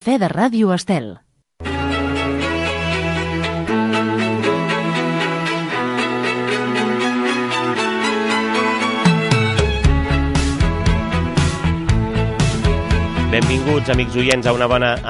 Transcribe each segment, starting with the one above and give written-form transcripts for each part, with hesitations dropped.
Cafè de Ràdio Estel. Benvinguts, amics oients, a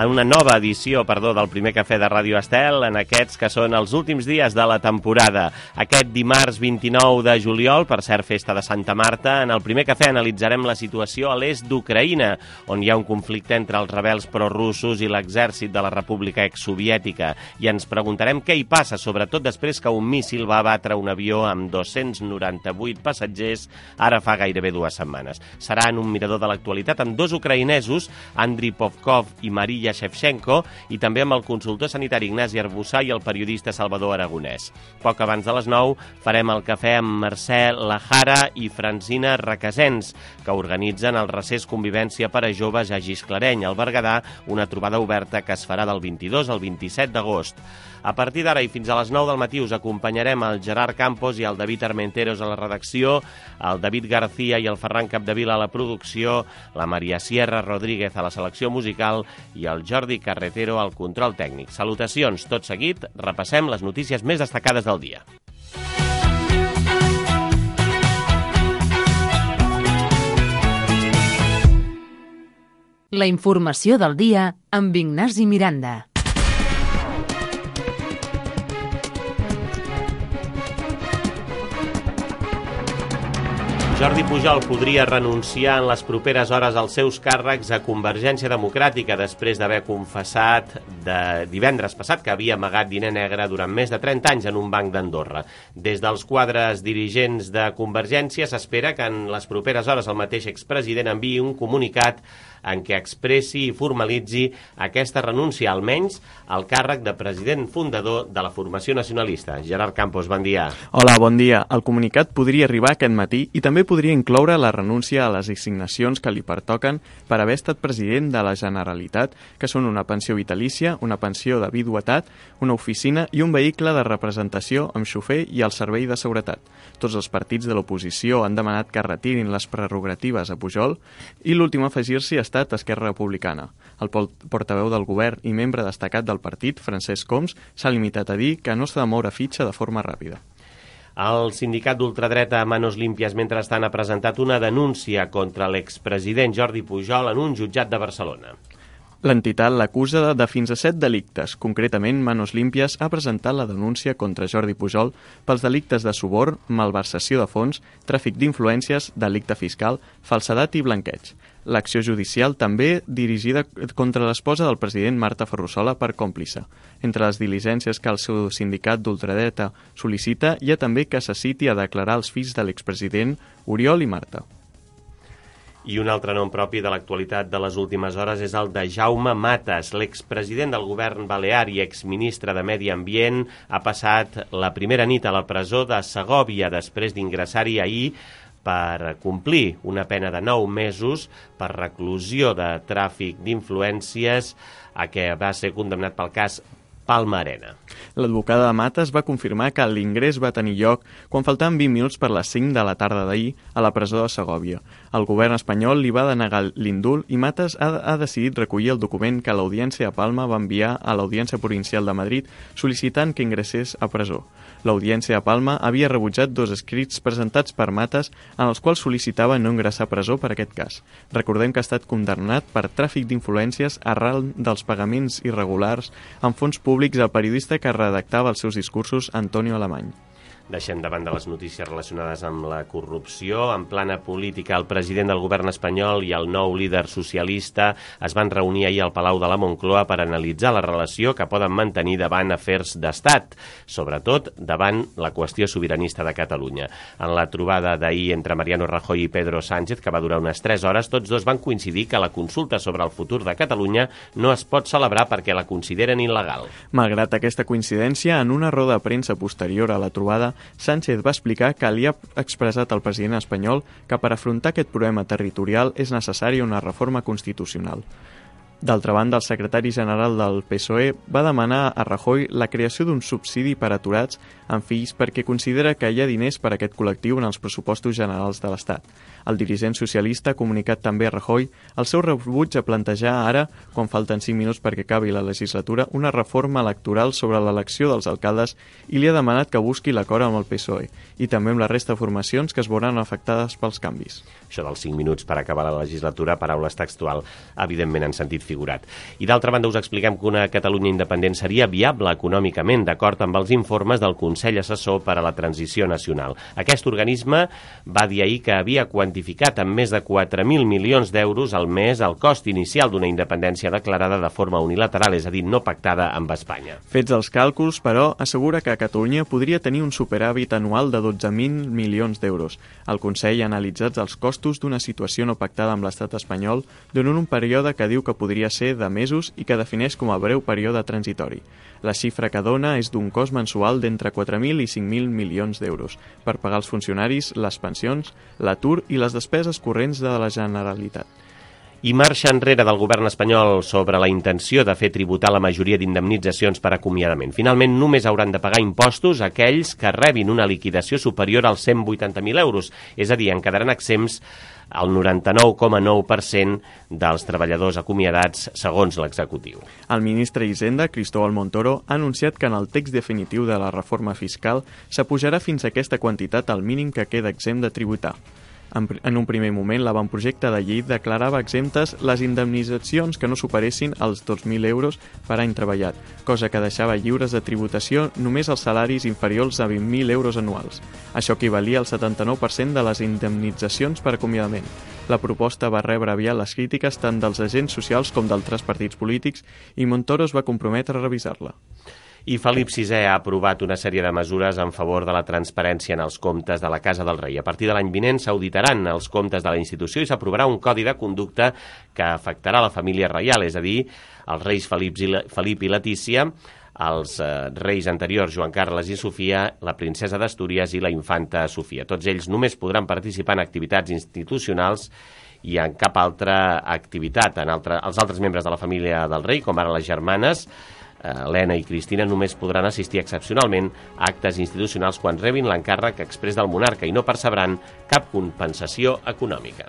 una nova edició del primer Cafè de Ràdio Estel, en aquests que són els últims dies de la temporada. Aquest dimarts 29 de juliol, per cert, festa de Santa Marta, en el primer Cafè analitzarem la situació a l'est d'Ucraïna, on hi ha un conflicte entre els rebels prorussos i l'exèrcit de la República exsoviètica, i ens preguntarem què hi passa, sobretot després que un míssil va abatre un avió amb 298 passatgers ara fa gairebé 2 setmanes. Serà en un mirador de l'actualitat amb 2 ucraïnesos, Andriy Povkov i Maria Shevchenko, i també amb el consultor sanitari Ignasi Arbussà i el periodista Salvador Aragonès. Poc abans de les 9 farem el cafè amb Mercè Lajara i Francina Requesens, que organitzen el Recés Convivència per a Joves a Gisclareny, al Berguedà, una trobada oberta que es farà del 22 al 27 d'agost. A partir d'ara i fins a les 9 del matí us acompanyarem el Gerard Campos i el David Armenteros a la redacció, el David García i el Ferran Capdevila a la producció, la Maria Sierra Rodríguez a la selecció musical i el Jordi Carretero al control tècnic. Salutacions. Tot seguit, repassem les notícies més destacades del dia. La informació del dia amb Ignasi Miranda. Jordi Pujol podria renunciar en les properes hores als seus càrrecs a Convergència Democràtica després d'haver confessat divendres passat que havia amagat diner negre durant més de 30 anys en un banc d'Andorra. Des dels quadres dirigents de Convergència s'espera que en les properes hores el mateix expresident enviï un comunicat en què expressi i formalitzi aquesta renúncia, almenys al càrrec de president fundador de la formació nacionalista. Gerard Campos, bon dia. Hola, bon dia. El comunicat podria arribar aquest matí i també podria incloure la renúncia a les assignacions que li pertoquen per haver estat president de la Generalitat, que són una pensió vitalícia, una pensió de viduïtat, una oficina i un vehicle de representació amb xofer i el servei de seguretat. Tots els partits de l'oposició han demanat que retirin les prerrogatives a Pujol i l'últim a afegir-s'hi ha estat Esquerra Republicana. El portaveu del govern i membre destacat del partit, Francesc Homs, s'ha limitat a dir que no s'ha de moure fitxa de forma ràpida. El sindicat d'ultradreta Manos Limpias, mentrestant, ha presentat una denúncia contra l'expresident Jordi Pujol en un jutjat de Barcelona. L'entitat l'acusa de fins a 7 delictes. Concretament, Manos Limpias ha presentat la denúncia contra Jordi Pujol pels delictes de suborn, malversació de fons, tràfic d'influències, delicte fiscal, falsedat i blanqueig. L'acció judicial també dirigida contra l'esposa del president Marta Ferrusola per còmplice. Entre les diligències que el seu sindicat d'ultradreta sol·licita hi ha també que se citi a declarar els fills de l'expresident Oriol i Marta. I un altre nom propi de l'actualitat de les últimes hores és el de Jaume Matas. L'expresident del govern balear i exministre de Medi Ambient ha passat la primera nit a la presó de Segòvia després d'ingressar-hi ahir per complir una pena de 9 mesos per reclusió de tràfic d'influències a què va ser condemnat pel cas Palma Arena. L'advocada de Matas va confirmar que l'ingrés va tenir lloc quan faltaven 20 minuts per les 5 de la tarda d'ahir a la presó de Segòvia. El govern espanyol li va denegar l'indult i Matas ha decidit recollir el document que l'Audiència de Palma va enviar a l'Audiència Provincial de Madrid sol·licitant que ingressés a presó. L'Audiència de Palma havia rebutjat 2 escrits presentats per Matas en els quals sol·licitava no ingressar a presó per aquest cas. Recordem que ha estat condemnat per tràfic d'influències arran dels pagaments irregulars en fons públics al periodista que redactava els seus discursos, Antonio Alemany. Deixem davant de les notícies relacionades amb la corrupció. En plana política, el president del govern espanyol i el nou líder socialista es van reunir ahir al Palau de la Moncloa per analitzar la relació que poden mantenir davant afers d'estat, sobretot davant la qüestió sobiranista de Catalunya. En la trobada d'ahir entre Mariano Rajoy i Pedro Sánchez, que va durar unes 3 hores, tots dos van coincidir que la consulta sobre el futur de Catalunya no es pot celebrar perquè la consideren il·legal. Malgrat aquesta coincidència, en una roda de premsa posterior a la trobada, Sánchez va explicar que li ha expressat al president espanyol que per afrontar aquest problema territorial és necessària una reforma constitucional. D'altra banda, el secretari general del PSOE va demanar a Rajoy la creació d'un subsidi per a aturats amb fills perquè considera que hi ha diners per a aquest col·lectiu en els pressupostos generals de l'Estat. El dirigent socialista ha comunicat també a Rajoy el seu rebuig a plantejar ara, quan falten 5 minuts perquè acabi la legislatura, una reforma electoral sobre l'elecció dels alcaldes i li ha demanat que busqui l'acord amb el PSOE i també amb la resta de formacions que es veuran afectades pels canvis. Això dels 5 minuts per acabar la legislatura, paraules textual, evidentment en sentit figurat. I d'altra banda us expliquem que una Catalunya independent seria viable econòmicament, d'acord amb els informes del Consell Assessor per a la Transició Nacional. Aquest organisme va dir ahir que havia quantificat en més de 4.000 milions d'euros al mes el cost inicial d'una independència declarada de forma unilateral, és a dir, no pactada amb Espanya. Fets els càlculs, però, assegura que Catalunya podria tenir un superàvit anual de 12.000 milions d'euros. El Consell ha analitzat els costos d'una situació no pactada amb l'estat espanyol durant un període que diu que podria ser de mesos i que defineix com a breu període transitori. La xifra que dona és d'un cost mensual d'entre 4.000 i 5.000 milions d'euros per pagar els funcionaris, les pensions, l'atur i les despeses corrents de la Generalitat. I marxa enrere del govern espanyol sobre la intenció de fer tributar la majoria d'indemnitzacions per acomiadament. Finalment, només hauran de pagar impostos aquells que rebin una liquidació superior als 180.000 euros, és a dir, en quedaran exempts el 99,9% dels treballadors acomiadats, segons l'executiu. El ministre d'Hisenda, Cristóbal Montoro, ha anunciat que en el text definitiu de la reforma fiscal s'apujarà fins a aquesta quantitat al mínim que queda exempt de tributar. En un primer moment, l'avantprojecte de llei declarava exemptes les indemnitzacions que no superessin els 2.000 euros per any treballat, cosa que deixava lliures de tributació només els salaris inferiors a 20.000 euros anuals. Això equivalia al 79% de les indemnitzacions per acomiadament. La proposta va rebre aviat les crítiques tant dels agents socials com d'altres partits polítics i Montoro es va comprometre a revisar-la. I Felip VI ha aprovat una sèrie de mesures en favor de la transparència en els comptes de la Casa del Rei. A partir de l'any vinent s'auditaran els comptes de la institució i s'aprovarà un codi de conducta que afectarà la família reial, és a dir, els reis Felip i Letícia, els reis anteriors Joan Carles i Sofia, la princesa d'Astúries i la infanta Sofia. Tots ells només podran participar en activitats institucionals i en cap altra activitat. Els altres membres de la família del rei, com ara les germanes, Helena i Cristina, només podran assistir excepcionalment a actes institucionals quan rebin l'encàrrec exprés del monarca i no percebran cap compensació econòmica.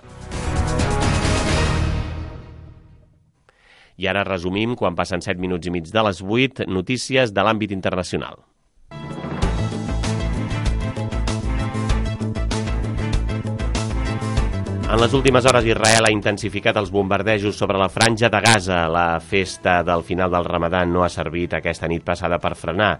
I ara resumim, quan passen 7 minuts i mig de les 8, notícies de l'àmbit internacional. En les últimes hores, Israel ha intensificat els bombardejos sobre la franja de Gaza. La festa del final del Ramadan no ha servit aquesta nit passada per frenar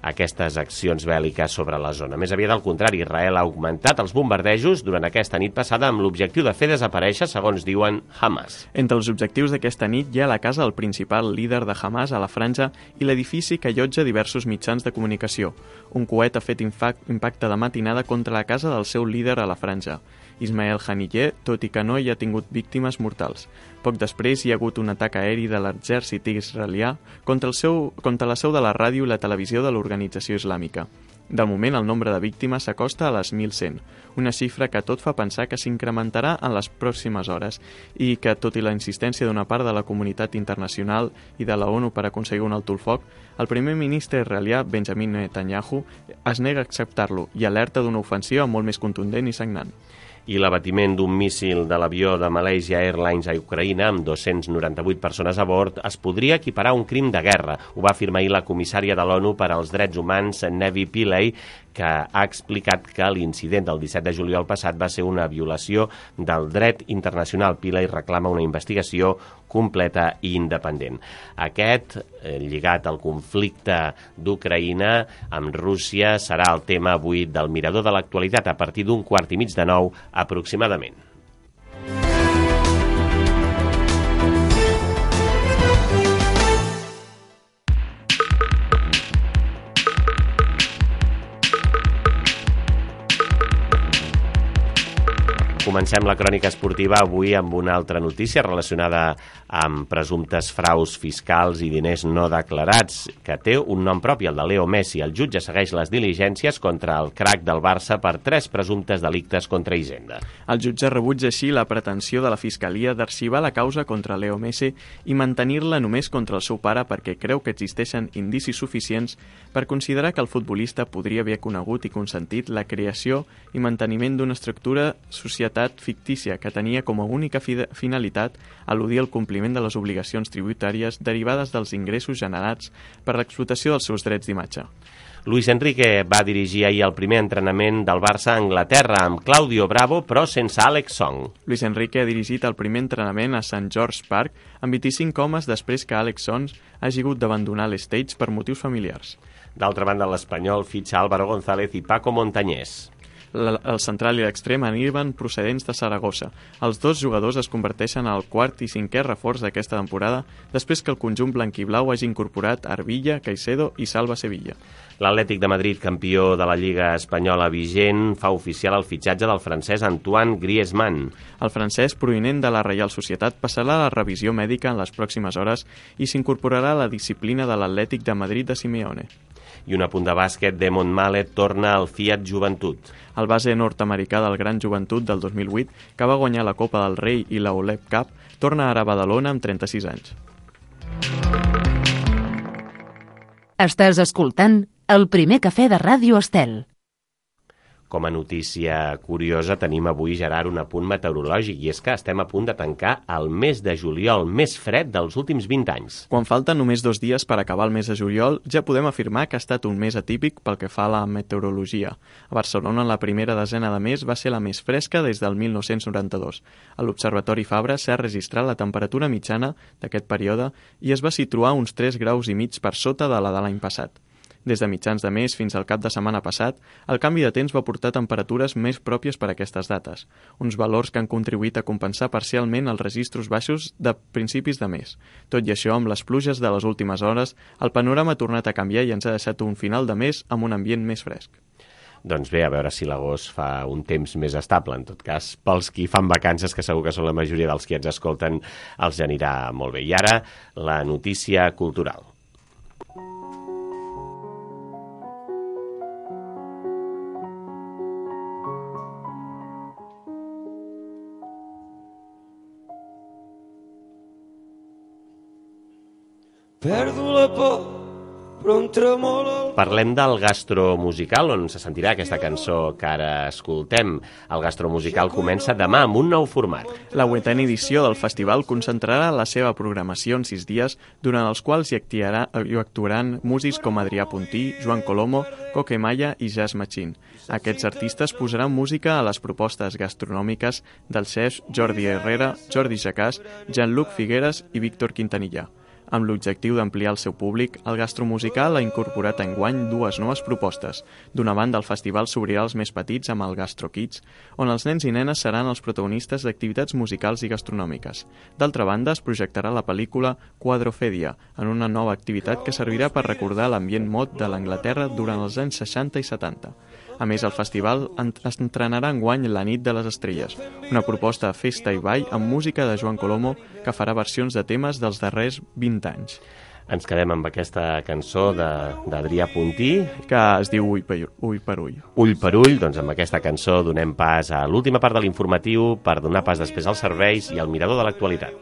aquestes accions bèl·liques sobre la zona. Més aviat al contrari, Israel ha augmentat els bombardejos durant aquesta nit passada amb l'objectiu de fer desaparèixer, segons diuen, Hamas. Entre els objectius d'aquesta nit hi ha la casa del principal líder de Hamas a la franja i l'edifici que allotja diversos mitjans de comunicació. Un coet ha fet impacte de matinada contra la casa del seu líder a la franja, Ismael Haniyeh, tot i que no hi ha tingut víctimes mortals. Poc després hi ha hagut un atac aeri de l'exèrcit israelià contra la seu de la ràdio i la televisió de l'organització islàmica. De moment, el nombre de víctimes s'acosta a les 1.100, una xifra que tot fa pensar que s'incrementarà en les pròximes hores i que, tot i la insistència d'una part de la comunitat internacional i de la ONU per aconseguir un alto el foc, el primer ministre israelià, Benjamin Netanyahu, es nega a acceptar-lo i alerta d'una ofensiva molt més contundent i sagnant. I l'abatiment d'un míssil de l'avió de Malaysia Airlines a Ucraïna, amb 298 persones a bord, es podria equiparar a un crim de guerra. Ho va afirmar ahir la comissària de l'ONU per als Drets Humans, Nevi Pillay, que ha explicat que l'incident del 17 de juliol passat va ser una violació del dret internacional. Pillay reclama una investigació completa i independent. Aquest, lligat al conflicte d'Ucraïna amb Rússia, serà el tema avui del Mirador de l'Actualitat a partir d'un 8:45 aproximadament. Comencem la crònica esportiva avui amb una altra notícia relacionada amb presumptes fraus fiscals i diners no declarats, que té un nom propi, el de Leo Messi. El jutge segueix les diligències contra el crac del Barça per 3 presumptes delictes contra Hisenda. El jutge rebutja així la pretensió de la Fiscalia d'arxivar la causa contra Leo Messi i mantenir-la només contra el seu pare perquè creu que existeixen indicis suficients per considerar que el futbolista podria haver conegut i consentit la creació i manteniment d'una estructura societat fictícia que tenia com a única finalitat eludir el compliment de les obligacions tributàries derivades dels ingressos generats per l'explotació dels seus drets d'imatge. Luis Enrique va dirigir ahir el primer entrenament del Barça a Anglaterra amb Claudio Bravo, però sense Alex Song. Luis Enrique ha dirigit el primer entrenament a St. George Park amb 25 homes després que Alex Song hagi hagut d'abandonar l'Stage per motius familiars. D'altra banda, l'Espanyol fitxa Álvaro González i Paco Montañés. El central i l'extrem arriben procedents de Saragossa. Els dos jugadors es converteixen al quart i cinquè reforç d'aquesta temporada després que el conjunt blanquiblau hagi incorporat Arbilla, Caicedo i Salva Sevilla. L'Atlètic de Madrid, campió de la Lliga Espanyola vigent, fa oficial el fitxatge del francès Antoine Griezmann. El francès, provinent de la Reial Societat, passarà a la revisió mèdica en les pròximes hores i s'incorporarà a la disciplina de l'Atlètic de Madrid de Simeone. I un apunt de bàsquet, Damon Mallet torna al Fiat Joventut. El base nord-americà del Gran Joventut del 2008, que va guanyar la Copa del Rei i la OLEP Cup, torna ara a Badalona amb 36 anys. Estàs escoltant el primer cafè de Ràdio Estel. Com a notícia curiosa tenim avui, Gerard, un apunt meteorològic, i és que estem a punt de tancar el mes de juliol, més fred dels últims 20 anys. Quan falten només 2 dies per acabar el mes de juliol, ja podem afirmar que ha estat un mes atípic pel que fa a la meteorologia. A Barcelona, la primera desena de mes va ser la més fresca des del 1992. A l'Observatori Fabra s'ha registrat la temperatura mitjana d'aquest període i es va situar uns 3 graus i mig per sota de la de l'any passat. Des de mitjans de mes fins al cap de setmana passat, el canvi de temps va portar temperatures més pròpies per a aquestes dates, uns valors que han contribuït a compensar parcialment els registros baixos de principis de mes. Tot i això, amb les pluges de les últimes hores, el panorama ha tornat a canviar i ens ha deixat un final de mes amb un ambient més fresc. Doncs bé, a veure si l'agost fa un temps més estable. En tot cas, pels qui fan vacances, que segur que són la majoria dels qui ens escolten, els anirà molt bé. I ara, la notícia cultural. Perdo la por, però em tremola el... Parlem del gastromusical, on se sentirà aquesta cançó que ara escoltem. El gastromusical comença demà amb un nou format. La 8a edició del festival concentrarà la seva programació en 6 dies, durant els quals hi actuaran músics com Adrià Puntí, Joan Colomo, Coque Maya i Jazz Machine. Aquests artistes posaran música a les propostes gastronòmiques dels chefs Jordi Herrera, Jordi Jacàs, Jean-Luc Figueres i Víctor Quintanilla. Amb l'objectiu d'ampliar el seu públic, el gastromusical ha incorporat enguany 2 noves propostes. D'una banda, el festival s'obrirà als més petits amb el Gastro Kids, on els nens i nenes seran els protagonistes d'activitats musicals i gastronòmiques. D'altra banda, es projectarà la pel·lícula Quadrofèdia, en una nova activitat que servirà per recordar l'ambient mod de l'Anglaterra durant els anys 60 i 70. A més, el festival estrenarà enguany La nit de les estrelles, una proposta de festa i ball amb música de Joan Colomo que farà versions de temes dels darrers 20 anys. Ens quedem amb aquesta cançó d'Adrià Puntí, que es diu Ull per ull. Ull per ull, doncs amb aquesta cançó donem pas a l'última part de l'informatiu per donar pas després als serveis i al mirador de l'actualitat.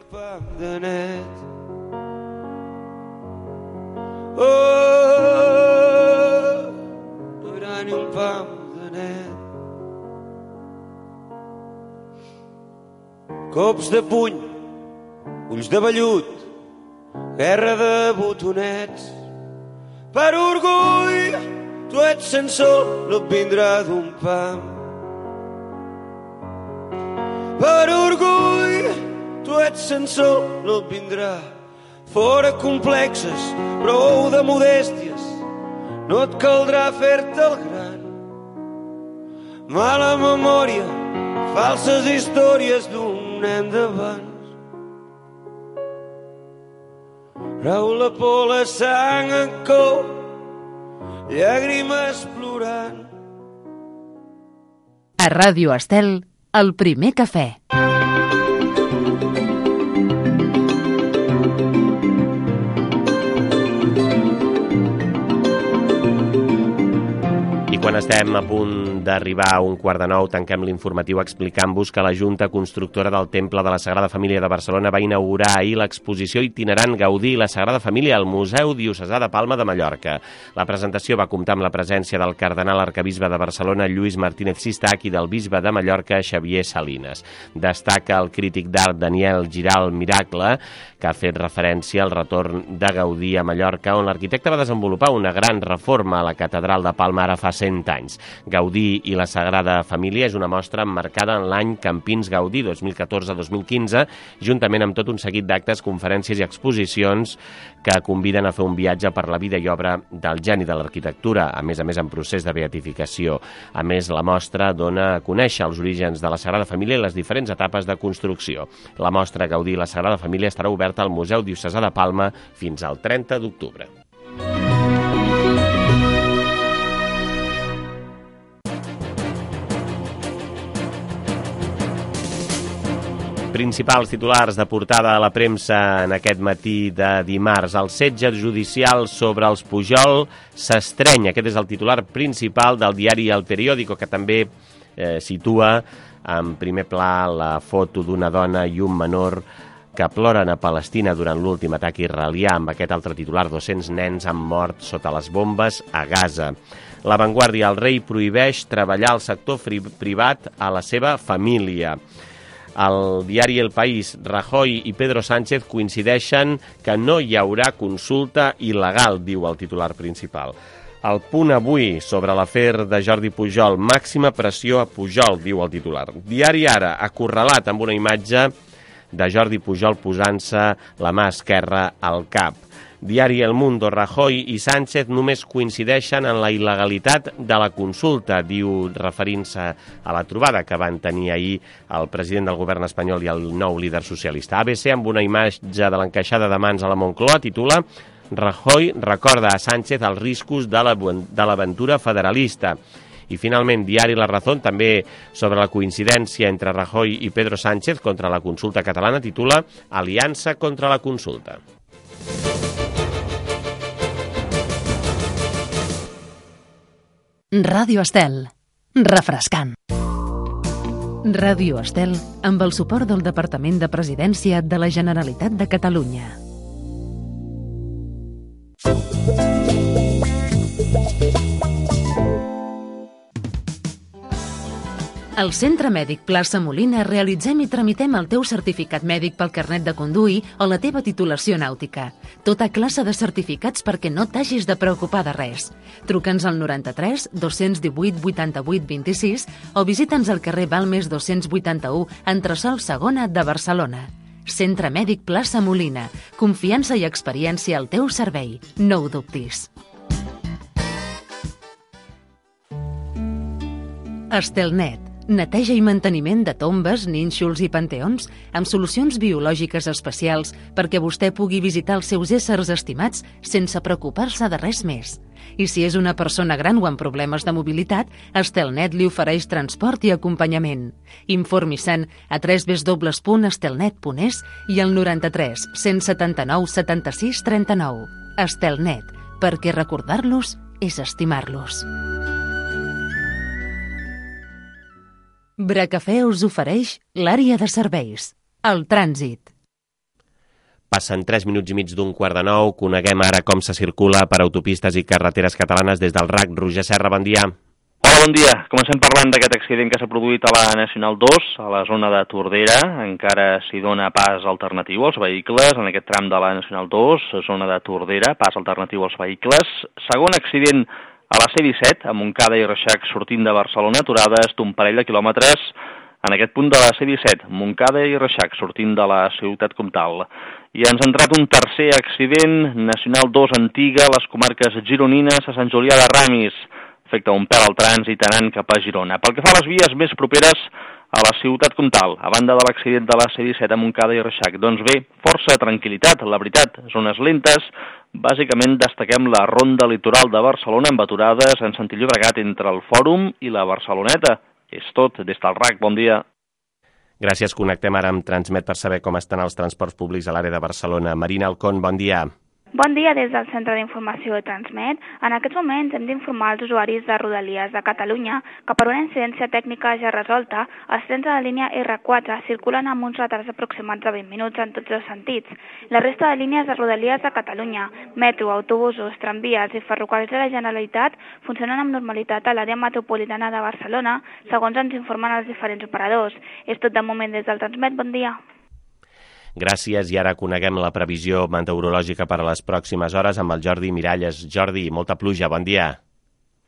Ni un pam de net. Cops de puny, ulls de vellut, guerra de botonets. Per orgull, tu ets sensor, no et vindrà d'un pam. Per orgull, tu ets sensor, no et vindrà. Fora complexes, prou de modèsties, no et caldrà fer-te el gran. Mala memòria, falses històries d'un nen d'abans. Rau la por, la sang en cou, llàgrimes plorant. A Ràdio Estel, El primer cafè. Quan estem a punt d'arribar a 8:45, tanquem l'informatiu explicant-vos que la Junta Constructora del Temple de la Sagrada Família de Barcelona va inaugurar ahir l'exposició itinerant Gaudí i la Sagrada Família al Museu Diocesà de Palma de Mallorca. La presentació va comptar amb la presència del cardenal arquebisbe de Barcelona, Lluís Martínez Sistach, i del bisbe de Mallorca, Xavier Salines. Destaca el crític d'art Daniel Giral Miracle, que ha fet referència al retorn de Gaudí a Mallorca, on l'arquitecte va desenvolupar una gran reforma a la catedral de Palma ara fa 100 anys. Gaudí i la Sagrada Família és una mostra emmarcada en l'any Campins Gaudí 2014-2015, juntament amb tot un seguit d'actes, conferències i exposicions que conviden a fer un viatge per la vida i obra del geni de l'arquitectura, a més en procés de beatificació. A més, la mostra dona a conèixer els orígens de la Sagrada Família i les diferents etapes de construcció. La mostra Gaudí i la Sagrada Família estarà oberta al Museu Diocesà de Palma fins al 30 d'octubre. Principals titulars de portada a la premsa en aquest matí de dimarts. El setge judicial sobre els Pujol s'estreny. Aquest és el titular principal del diari El Periódico, que també situa en primer pla la foto d'una dona i un menor que ploren a Palestina durant l'últim atac israelià. Amb aquest altre titular, 200 nens han mort sota les bombes a Gaza. La Vanguardia: el rei prohibeix treballar al sector privat a la seva família. Al diari El País: Rajoy i Pedro Sánchez coincideixen que no hi haurà consulta il·legal, diu el titular principal. El Punt avui sobre l'afer de Jordi Pujol: màxima pressió a Pujol, diu el titular. Diari Ara, acorralat amb una imatge de Jordi Pujol posant-se la mà esquerra al cap. Diari El Mundo: Rajoy i Sánchez només coincideixen en la il·legalitat de la consulta, diu, referint-se a la trobada que van tenir ahir el president del govern espanyol i el nou líder socialista. ABC, amb una imatge de l'encaixada de mans a la Moncloa, titula: Rajoy recorda a Sánchez els riscos de l'aventura federalista. I finalment, diari La Razón, també sobre la coincidència entre Rajoy i Pedro Sánchez contra la consulta catalana, titula: Aliança contra la consulta. Ràdio Estel. Refrescant. Ràdio Estel amb el suport del Departament de Presidència de la Generalitat de Catalunya. Al Centre Mèdic Plaça Molina realitzem i tramitem el teu certificat mèdic pel carnet de conduir o la teva titulació nàutica. Tota classe de certificats perquè no t'hagis de preocupar de res. Truca'ns al 93 218 88 26 o visita'ns al carrer Balmes 281, entresòl Segona de Barcelona. Centre Mèdic Plaça Molina. Confiança i experiència al teu servei. No ho dubtis. Estelnet. Neteja i manteniment de tombes, nínxols i panteons amb solucions biològiques especials perquè vostè pugui visitar els seus éssers estimats sense preocupar-se de res més. I si és una persona gran o amb problemes de mobilitat, Estelnet li ofereix transport i acompanyament. Informi-se'n a www.estelnet.es i al 93 179 76 39. Estelnet, perquè recordar-los és estimar-los. Bracafè us ofereix l'àrea de serveis, el trànsit. Passen 3 minuts i mig d'8:45. Coneguem ara com se circula per autopistes i carreteres catalanes des del RAC. Roger Serra, bon dia. Hola, bon dia. Comencem parlant d'aquest accident que s'ha produït a la Nacional 2, a la zona de Tordera. Encara s'hi dona pas alternatiu als vehicles en aquest tram de la Nacional 2, zona de Tordera, pas alternatiu als vehicles. Segon accident a la C-17, a Montcada i Reixac, sortint de Barcelona, aturades d'un parell de quilòmetres en aquest punt de la C-17, Montcada i Reixac, sortint de la ciutat comtal. I ens ha entrat un tercer accident, Nacional 2 antiga, a les comarques gironines, a Sant Julià de Ramis. Afecta un pèl al trànsit anant cap a Girona. Pel que fa a les vies més properes a la ciutat comtal, a banda de l'accident de la C-17 a Montcada i Reixac, doncs bé, força tranquil·litat, la veritat, zones lentes. Bàsicament destaquem la ronda litoral de Barcelona amb aturades en sentit Llobregat entre el Fòrum i la Barceloneta. És tot, des del RAC, bon dia. Gràcies. Connectem ara amb Transmet per saber com estan els transports públics a l'àrea de Barcelona. Marina Alcón, bon dia. Bon dia des del Centre d'Informació de Transmet. En aquests moments hem d'informar els usuaris de Rodalies de Catalunya que per una incidència tècnica ja resolta, els trens de la línia R4 circulen amb uns retards aproximats de 20 minuts en tots els sentits. La resta de línies de Rodalies de Catalunya, metro, autobusos, tramvies i ferrocarrils de la Generalitat funcionen amb normalitat a l'àrea metropolitana de Barcelona, segons ens informen els diferents operadors. És tot de moment des del Transmet. Bon dia. Gràcies, i ara coneguem la previsió meteorològica per a les pròximes hores amb el Jordi Miralles. Jordi, molta pluja, bon dia.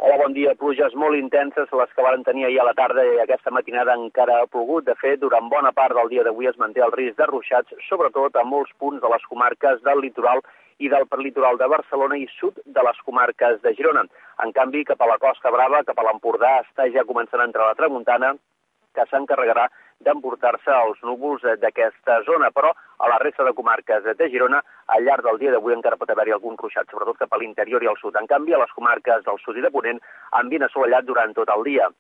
Hola, bon dia. Pluges molt intenses, les que varen tenir ahir a la tarda i aquesta matinada encara ha plogut. De fet, durant bona part del dia d'avui es manté el risc de ruixats, sobretot a molts punts de les comarques del litoral i del prelitoral de Barcelona i sud de les comarques de Girona. En canvi, cap a la Costa Brava, cap a l'Empordà, està ja començant a entrar la tramuntana, que s'encarregarà d'emportar-se els núvols d'aquesta zona, però a la resta de comarques de Girona, al llarg del dia d'avui encara pot haver-hi algun ruixat, sobretot cap a l'interior i al sud. En canvi, a les comarques del sud i de Ponent, ambient assolellat durant tot el dia.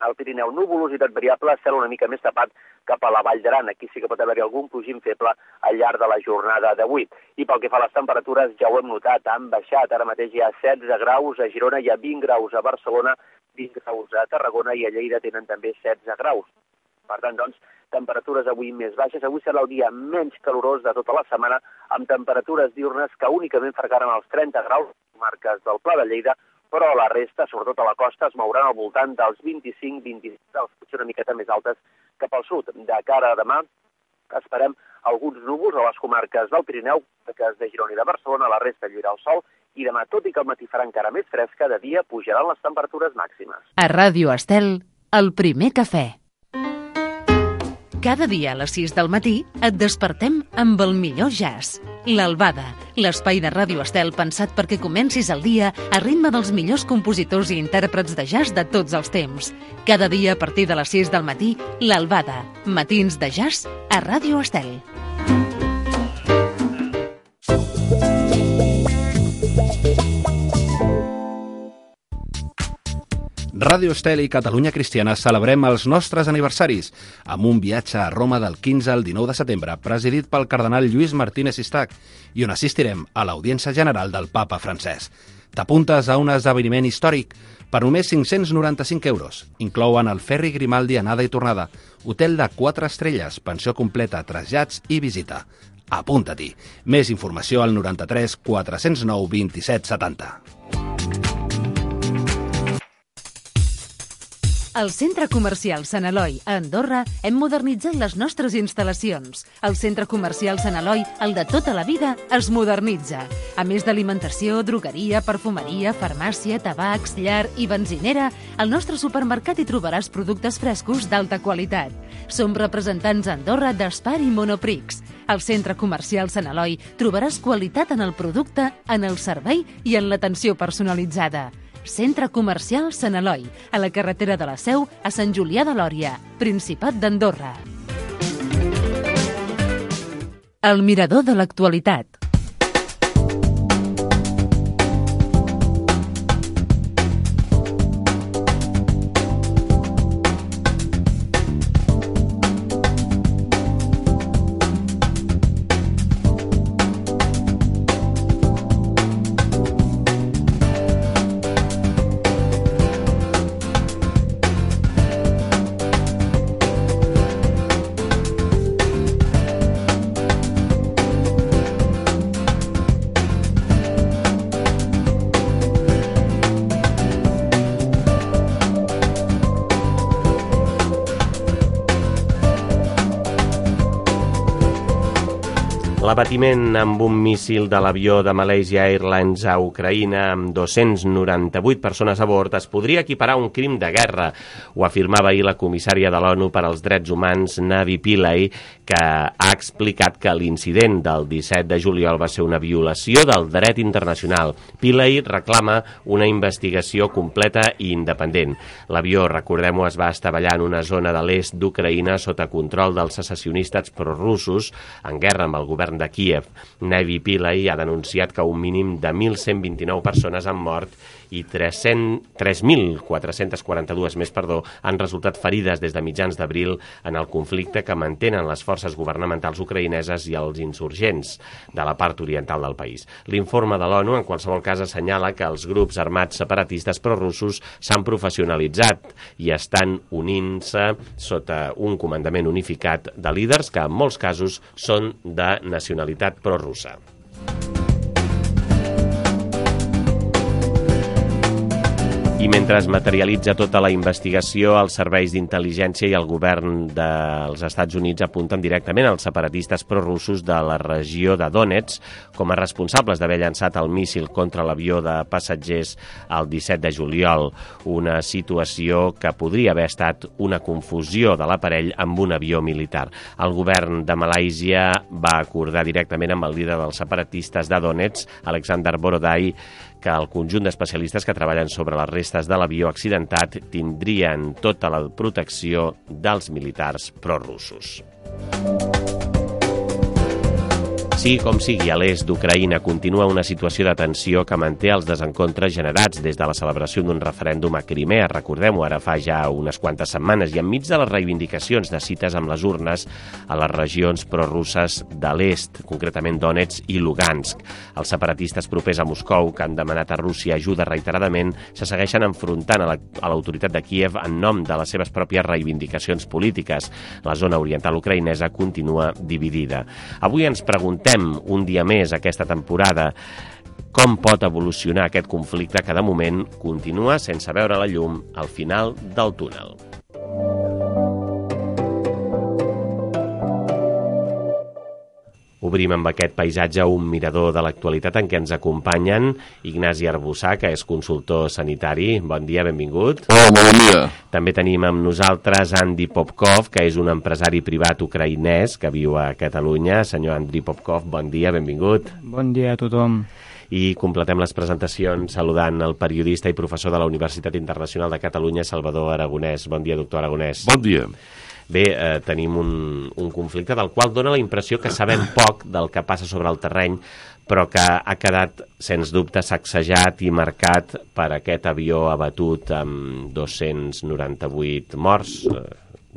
Al Pirineu, nuvolositat variable, cel una mica més tapat cap a la Vall d'Aran. Aquí sí que pot haver-hi algun plogim feble al llarg de la jornada d'avui. I pel que fa a les temperatures, ja ho hem notat, han baixat. Ara mateix hi ha 16 graus a Girona, hi ha 20 graus a Barcelona, 20 graus a Tarragona i a Lleida tenen també 16 graus. Per tant, doncs, temperatures avui més baixes. Avui serà el dia menys calorós de tota la setmana, amb temperatures diurnes que únicament fregaran els 30 graus a les comarques del Pla de Lleida, però a la resta, sobretot a la costa, es mouran al voltant dels 25-26 graus, potser una miqueta més altes cap al sud. De cara a demà, esperem alguns núvols a les comarques del Pirineu, que de Girona i de Barcelona, a la resta lluirà el sol, i demà, tot i que el matí farà encara més fresca, de dia pujaran les temperatures màximes. A Ràdio Estel, el primer cafè. Cada dia a les 6 del matí et despertem amb el millor jazz. L'Albada, l'espai de Ràdio Estel pensat perquè comencis el dia a ritme dels millors compositors i intèrprets de jazz de tots els temps. Cada dia a partir de les 6 del matí, l'Albada, matins de jazz a Ràdio Estel. Ràdio Estel i Catalunya Cristiana celebrem els nostres aniversaris amb un viatge a Roma del 15 al 19 de setembre presidit pel cardenal Lluís Martínez Sistac i on assistirem a l'audiència general del papa francès. T'apuntes a un esdeveniment històric per només 595 euros. Inclouen el ferri Grimaldi anada i tornada, hotel de 4 estrelles, pensió completa, trasllats i visita. Apunta-t'hi. Més informació al 93 409 27 70. Al Centre Comercial Sant Eloi, a Andorra, hem modernitzat les nostres instal·lacions. El Centre Comercial Sant Eloi, el de tota la vida, es modernitza. A més d'alimentació, drogueria, perfumeria, farmàcia, tabacs, llar i benzinera, al nostre supermercat hi trobaràs productes frescos d'alta qualitat. Som representants a Andorra d'Espar i Monoprix. Al Centre Comercial Sant Eloi trobaràs qualitat en el producte, en el servei i en l'atenció personalitzada. Centre Comercial Sant Eloi, a la carretera de la Seu, a Sant Julià de Lòria, Principat d'Andorra. El mirador de l'actualitat. L'abatiment amb un míssil de l'avió de Malaysia Airlines a Ucraïna amb 298 persones a bord es podria equiparar a un crim de guerra. Ho afirmava ahir la comissària de l'ONU per als Drets Humans, Navi Pillay, que ha explicat que l'incident del 17 de juliol va ser una violació del dret internacional. Pillay reclama una investigació completa i independent. L'avió, recordem-ho, es va estavellar en una zona de l'est d'Ucraïna sota control dels secessionistes prorussos en guerra amb el govern de Kíev. Navi Pillay ha denunciat que un mínim de 1.129 persones han mort i 3.442 més han resultat ferides des de mitjans d'abril en el conflicte que mantenen les forces governamentals ucraïneses i els insurgents de la part oriental del país. L'informe de l'ONU, en qualsevol cas, assenyala que els grups armats separatistes prorussos s'han professionalitzat i estan unint-se sota un comandament unificat de líders que en molts casos són de nacionalitat prorussa. I mentre es materialitza tota la investigació, els serveis d'intel·ligència i el govern dels Estats Units apunten directament als separatistes prorussos de la regió de Donetsk com a responsables d'haver llançat el míssil contra l'avió de passatgers el 17 de juliol, una situació que podria haver estat una confusió de l'aparell amb un avió militar. El govern de Malàisia va acordar directament amb el líder dels separatistes de Donetsk, Alexander Borodai, que el conjunt d'especialistes que treballen sobre les restes de l'avió accidentat tindrien tota la protecció dels militars prorussos. Sigui com sigui, a l'est d'Ucraïna continua una situació de tensió que manté els desencontres generats des de la celebració d'un referèndum a Crimea, recordem-ho, ara fa ja unes quantes setmanes, i enmig de les reivindicacions de cites amb les urnes a les regions prorusses de l'est, concretament Donetsk i Lugansk. Els separatistes propers a Moscou, que han demanat a Rússia ajuda reiteradament, se segueixen enfrontant a l'autoritat de Kíev en nom de les seves pròpies reivindicacions polítiques. La zona oriental ucraïnesa continua dividida. Avui ens preguntem un dia més aquesta temporada com pot evolucionar aquest conflicte que de moment continua sense veure la llum al final del túnel. Obrim amb aquest paisatge un mirador de l'actualitat en què ens acompanyen Ignasi Arbussà, que és consultor sanitari. Bon dia, benvingut. Hola, bon dia. També tenim amb nosaltres Andy Popkov, que és un empresari privat ucraïnès que viu a Catalunya. Senyor Andriy Popkov, bon dia, benvingut. Bon dia a tothom. I completem les presentacions saludant el periodista i professor de la Universitat Internacional de Catalunya, Salvador Aragonès. Bon dia, doctor Aragonès. Bon dia. Bé, tenim un conflicte del qual dona la impressió que sabem poc del que passa sobre el terreny, però que ha quedat, sens dubte, sacsejat i marcat per aquest avió abatut amb 298 morts.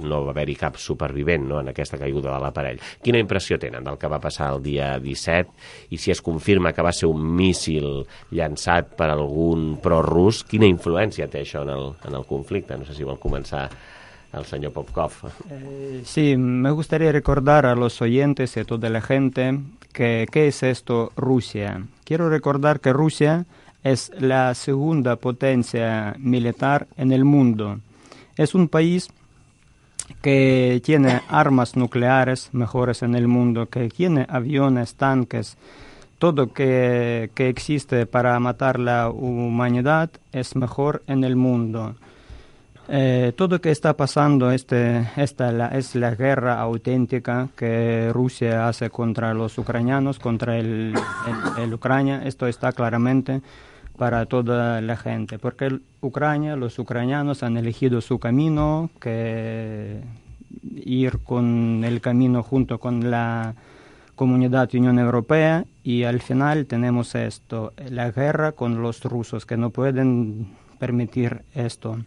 No va haver-hi cap supervivent, no, en aquesta caiguda de l'aparell. Quina impressió tenen del que va passar el dia 17 i si es confirma que va ser un míssil llançat per algun prorrus, quina influència té això en el conflicte? No sé si vol començar el señor Popkov. Sí, me gustaría recordar a los oyentes y a toda la gente que ¿qué es esto Rusia? Quiero recordar que Rusia es la segunda potencia militar en el mundo. Es un país que tiene armas nucleares mejores en el mundo, que tiene aviones, tanques, todo que existe para matar la humanidad es mejor en el mundo. Todo lo que está pasando es la guerra auténtica que Rusia hace contra los ucranianos, contra el Ucrania. Esto está claramente para toda la gente, porque los ucranianos han elegido su camino, que ir con el camino junto con la Comunidad Unión Europea, y al final tenemos esto, la guerra con los rusos, que no pueden permitir esto.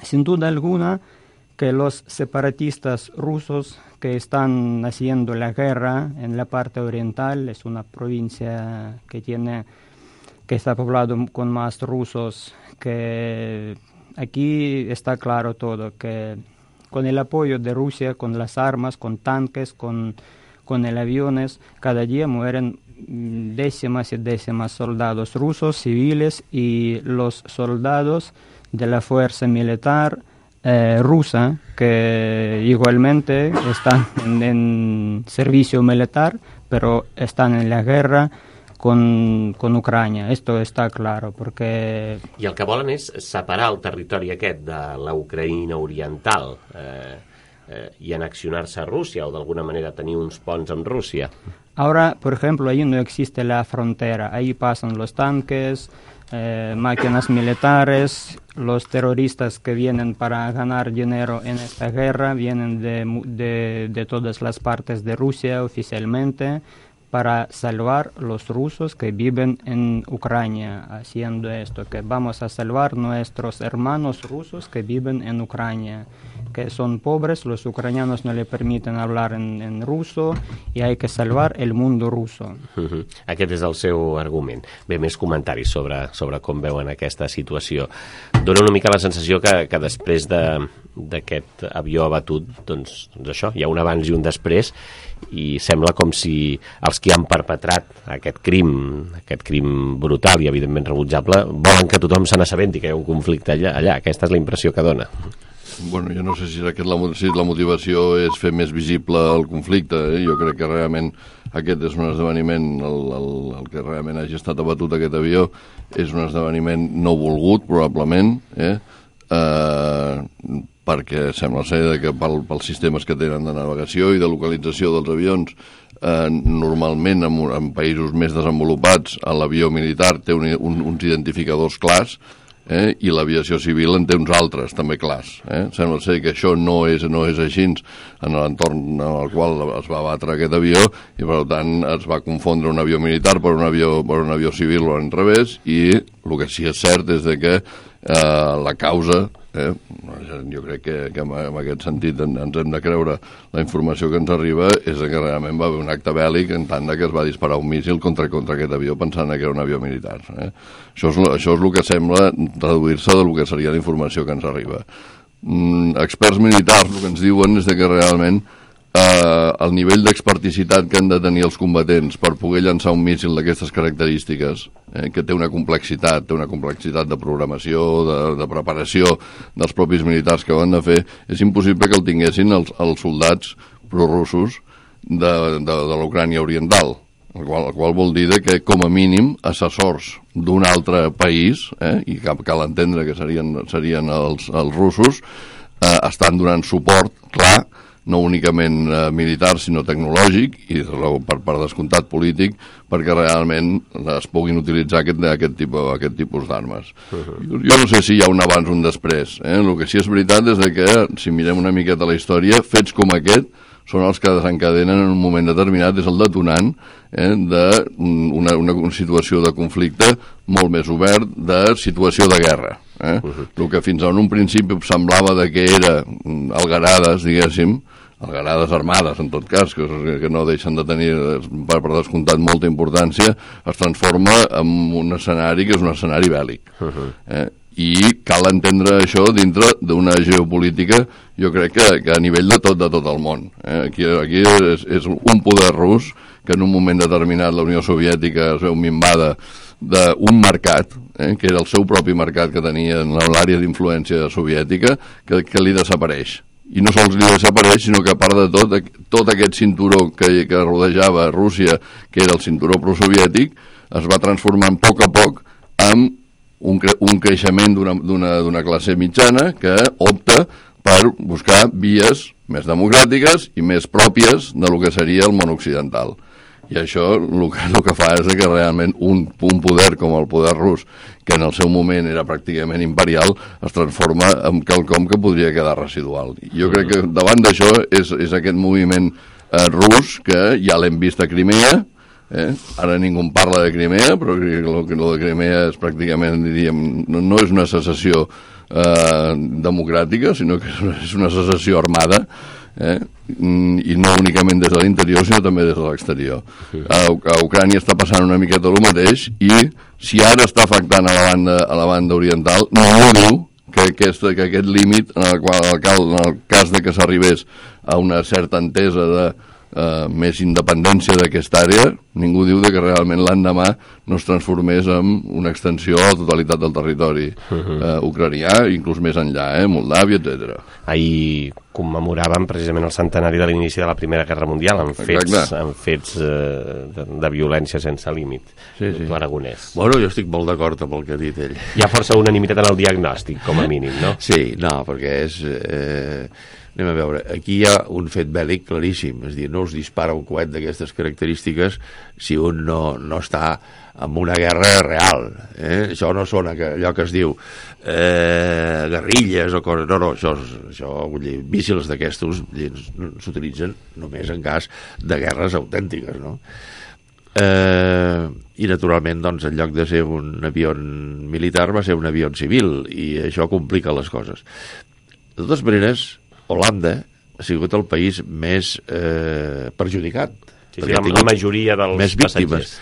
Sin duda alguna que los separatistas rusos que están haciendo la guerra en la parte oriental, es una provincia que está poblado con más rusos, que aquí está claro todo, que con el apoyo de Rusia, con las armas, con tanques, con el aviones, cada día mueren décimas y décimas soldados rusos, civiles, y los soldados de la fuerza militar rusa, que igualmente están en servicio militar, pero están en la guerra con Ucrania. Esto está claro, perquè... I el que volen és separar el territori aquest de la Ucraïna oriental y anexionar-se a Rússia, o d'alguna manera tenir uns ponts amb Rússia. Ahora, por ejemplo, ahí no existe la frontera. Ahí pasan los tanques, máquinas militares, los terroristas que vienen para ganar dinero en esta guerra, vienen de todas las partes de Rusia oficialmente, para salvar los rusos que viven en Ucrania, haciendo esto, que vamos a salvar nuestros hermanos rusos que viven en Ucrania, que son pobres, los ucranianos no le permiten hablar en ruso y hay que salvar el mundo ruso. Aquest és el seu argument. Bé, més comentaris sobre com veuen aquesta situació. Dóna una mica la sensació que després d'aquest avió abatut, doncs això, hi ha un abans i un després, i sembla com si els que han perpetrat aquest crim brutal i evidentment rebutjable volen que tothom se n'assabenti que hi ha un conflicte allà. Aquesta és la impressió que dona. Bueno, jo no sé si la motivació és fer més visible el conflicte. Jo crec que realment aquest és un esdeveniment, el que realment hagi estat abatut aquest avió, és un esdeveniment no volgut, probablement, perquè sembla ser que pels sistemes que tenen de navegació i de localització dels avions, normalment en països més desenvolupats l'avió militar té uns identificadors clars, i l'aviació civil en té uns altres també clars. Sembla ser que això no és així en l'entorn en el qual es va abatre aquest avió, i per tant es va confondre un avió militar per un avió civil o al revés, i el que sí és cert és que la causa, jo crec que en aquest sentit ens hem de creure la informació que ens arriba, és que realment va haver un acte bèl·lic en tant que es va disparar un míssil contra aquest avió pensant que era un avió militar. Això és el que sembla traduir-se del que seria la informació que ens arriba. Experts militars el que ens diuen és que realment el nivell d'experticitat que han de tenir els combatents per poder llançar un míssil d'aquestes característiques, que té una complexitat de programació, de preparació dels propis militars que ho han de fer, és impossible que el tinguessin els soldats prorussos de l'Ucrània oriental, el qual vol dir que com a mínim assessors d'un altre país, i cal entendre que serien els russos, estan donant suport, clar, no únicament militar, sinó tecnològic, i per descomptat polític, perquè realment es puguin utilitzar aquest tipus d'armes. Jo no sé si hi ha un abans o un després. El que sí és veritat és que, si mirem una miqueta la història, fets com aquest són els que desencadenen en un moment determinat, és el detonant d'una situació de conflicte molt més obert, de situació de guerra. El que fins a un principi semblava que era algarades, diguéssim, algarades armades, en tot cas, que no deixen de tenir, per descomptat, molta importància, es transforma en un escenari que és un escenari bèl·lic. I cal entendre això dintre d'una geopolítica, jo crec que a nivell de tot el món. Aquí és un poder rus que en un moment determinat la Unió Soviètica es veu minvada d'un mercat, que era el seu propi mercat que tenia en l'àrea d'influència soviètica, que li desapareix. I no sols li desapareix, sinó que a part de tot aquest cinturó que rodejava Rússia, que era el cinturó prosoviètic, es va transformant a poc en un creixement d'una classe mitjana que opta per buscar vies més democràtiques i més pròpies de lo que seria el món occidental. I això el que fa és que realment un poder com el poder rus, que en el seu moment era pràcticament imperial, es transforma en quelcom que podria quedar residual. Jo crec que davant d'això és aquest moviment rus, que ja l'hem vist a Crimea, ara ningú parla de Crimea, però el de Crimea és pràcticament, diríem, no és una secessió democràtica, sinó que és una secessió armada, i no únicament des de l'interior sinó també des de l'exterior. A Ucrània està passant una miqueta el mateix, i si ara està afectant a la banda oriental, no diu que aquest límit en el cas de que s'arribés a una certa entesa de més independència d'aquesta àrea, ningú diu que realment l'endemà no es transformés en una extensió a la totalitat del territori ucranià, inclús més enllà, Moldàvia, etc. Ahir commemoràvem precisament el centenari de l'inici de la Primera Guerra Mundial amb fets de violència sense límit. Aragonès. Bueno, jo estic molt d'acord amb el que ha dit ell. Hi ha força unanimitat en el diagnòstic, com a mínim, no? Sí, no, perquè és... Anem a veure, aquí hi ha un fet bèl·lic claríssim, és a dir, no es dispara un coet d'aquestes característiques si un no està en una guerra real. Això no sona allò que es diu guerrilles o coses, no, això míssils d'aquestos s'utilitzen només en cas de guerres autèntiques, no? i naturalment doncs, en lloc de ser un avió militar va ser un avió civil, i això complica les coses. De totes maneres, Holanda ha sigut el país més perjudicat. Sí, la majoria dels passatgers.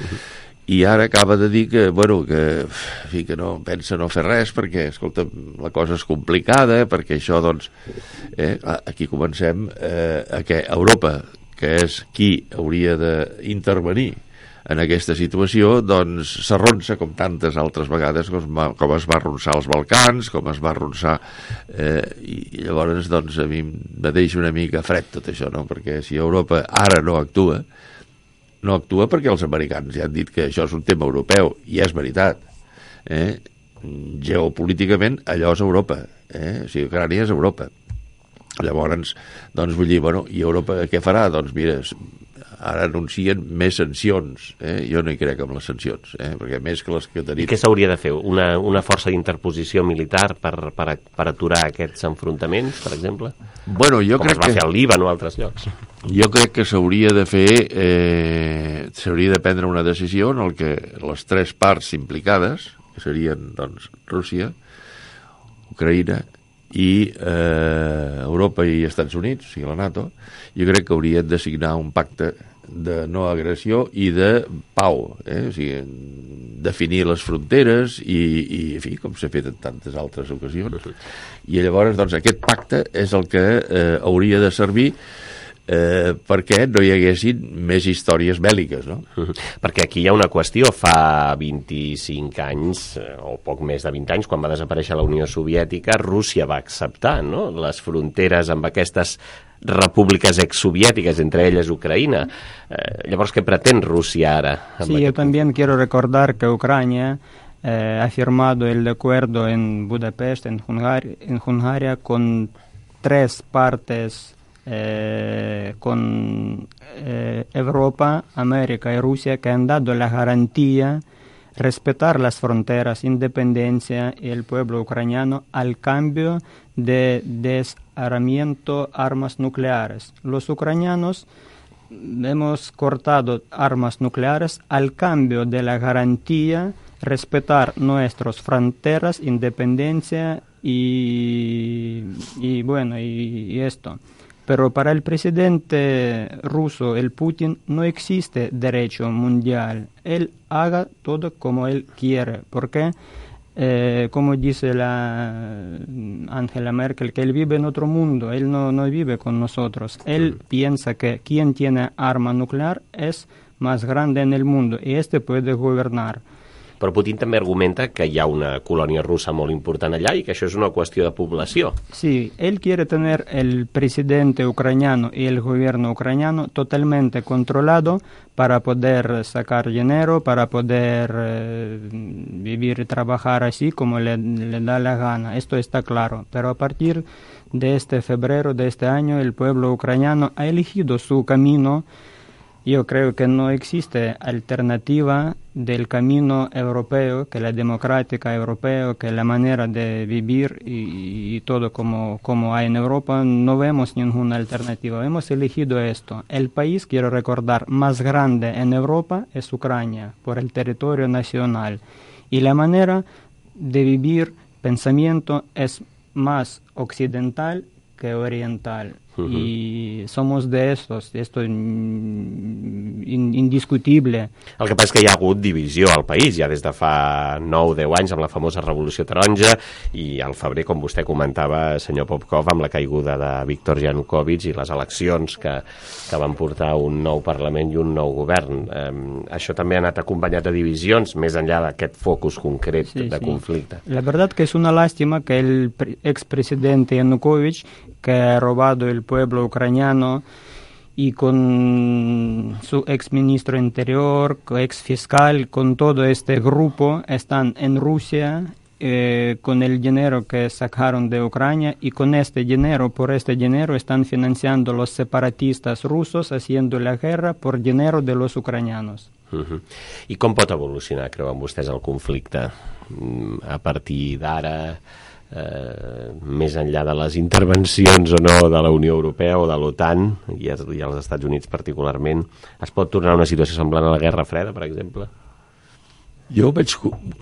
I ara acaba de dir que, bueno, que no pensa no fer res perquè, escolta, la cosa és complicada, perquè això, doncs, aquí comencem a que Europa, que és qui hauria d'intervenir en aquesta situació, doncs s'arronsa com tantes altres vegades, com es va arronsar als Balcans, com es va arronsar, i llavors doncs a mi me deixa una mica fred tot això, no? Perquè si Europa ara no actua perquè els americans ja han dit que això és un tema europeu, i és veritat. Geopolíticament allò és Europa, o sigui, Ucrània és Europa. Llavors, doncs vull dir, bueno, i Europa què farà? Doncs mira, ara anuncien més sancions. Jo no hi crec en les sancions, perquè més que les que tenim... I què s'hauria de fer? Una força d'interposició militar per aturar aquests enfrontaments, per exemple? Bueno, jo com crec es va fer al Líban o altres llocs. Jo crec que s'hauria de fer... s'hauria de prendre una decisió en el que les tres parts implicades, que serien, doncs, Rússia, Ucraïna i Europa i Estats Units, o sigui la NATO, jo crec que haurien de signar un pacte de no agressió i de pau, o sigui, definir les fronteres i en fi, com s'ha fet en tantes altres ocasions. I llavors, doncs, aquest pacte és el que hauria de servir perquè no hi haguessin més històries bèl·liques, no? Perquè aquí hi ha una qüestió. Fa 25 anys, o poc més de 20 anys, quan va desaparèixer la Unió Soviètica, Rússia va acceptar, no?, les fronteres amb aquestes repúbliques exsoviètiques, entre elles Ucraïna. Llavors, què pretén Rússia ara? Sí, yo también quiero recordar que Ucrania ha firmado el acuerdo en Budapest, en Hungría, con tres partes, con Europa, América y Rusia, que han dado la garantía respetar las fronteras, independencia y el pueblo ucraniano al cambio de desarmamiento armas nucleares. Los ucranianos hemos cortado armas nucleares al cambio de la garantía respetar nuestras fronteras, independencia y esto. Pero para el presidente ruso, el Putin, no existe derecho mundial. Él haga todo como él quiere, porque, como dice la Angela Merkel, que él vive en otro mundo, él no vive con nosotros. Él piensa que quien tiene arma nuclear es más grande en el mundo y este puede gobernar. Però Putin també argumenta que hi ha una colònia russa molt important allà i que això és una qüestió de població. Sí, él quiere tener el presidente ucraniano y el gobierno ucraniano totalmente controlado para poder sacar dinero, para poder vivir y trabajar así como le da la gana. Esto está claro. Pero a partir de este febrero de este año, el pueblo ucraniano ha elegido su camino. Yo creo que no existe alternativa del camino europeo, que la democrática europea, que la manera de vivir y todo como hay en Europa, no vemos ninguna alternativa. Hemos elegido esto. El país, quiero recordar, más grande en Europa es Ucrania, por el territorio nacional. Y la manera de vivir, pensamiento, es más occidental que oriental. Y somos de estos, esto es indiscutible. El que passa és que hi ha hagut divisió al país ja des de fa 9-10 anys amb la famosa Revolució Taronja i al febrer, com vostè comentava, senyor Popkov, amb la caiguda de Viktor Yanukovych i les eleccions que van portar un nou Parlament i un nou govern. Això també ha anat acompanyat de divisions més enllà d'aquest focus concret de conflicte. La verdad que es una lástima que el expresidente Yanukovych, que ha robado el pueblo ucraniano, y con su exministro interior, ex fiscal, con todo este grupo, están en Rusia con el dinero que sacaron de Ucrania, y con este dinero, por este dinero, están financiando los separatistas rusos, haciendo la guerra por dinero de los ucranianos. I com pot evolucionar, creuen vostès, el conflicte a partir d'ara? més enllà de les intervencions o no de la Unió Europea o de l'OTAN i els Estats Units particularment, es pot tornar a una situació semblant a la Guerra Freda, per exemple? Jo veig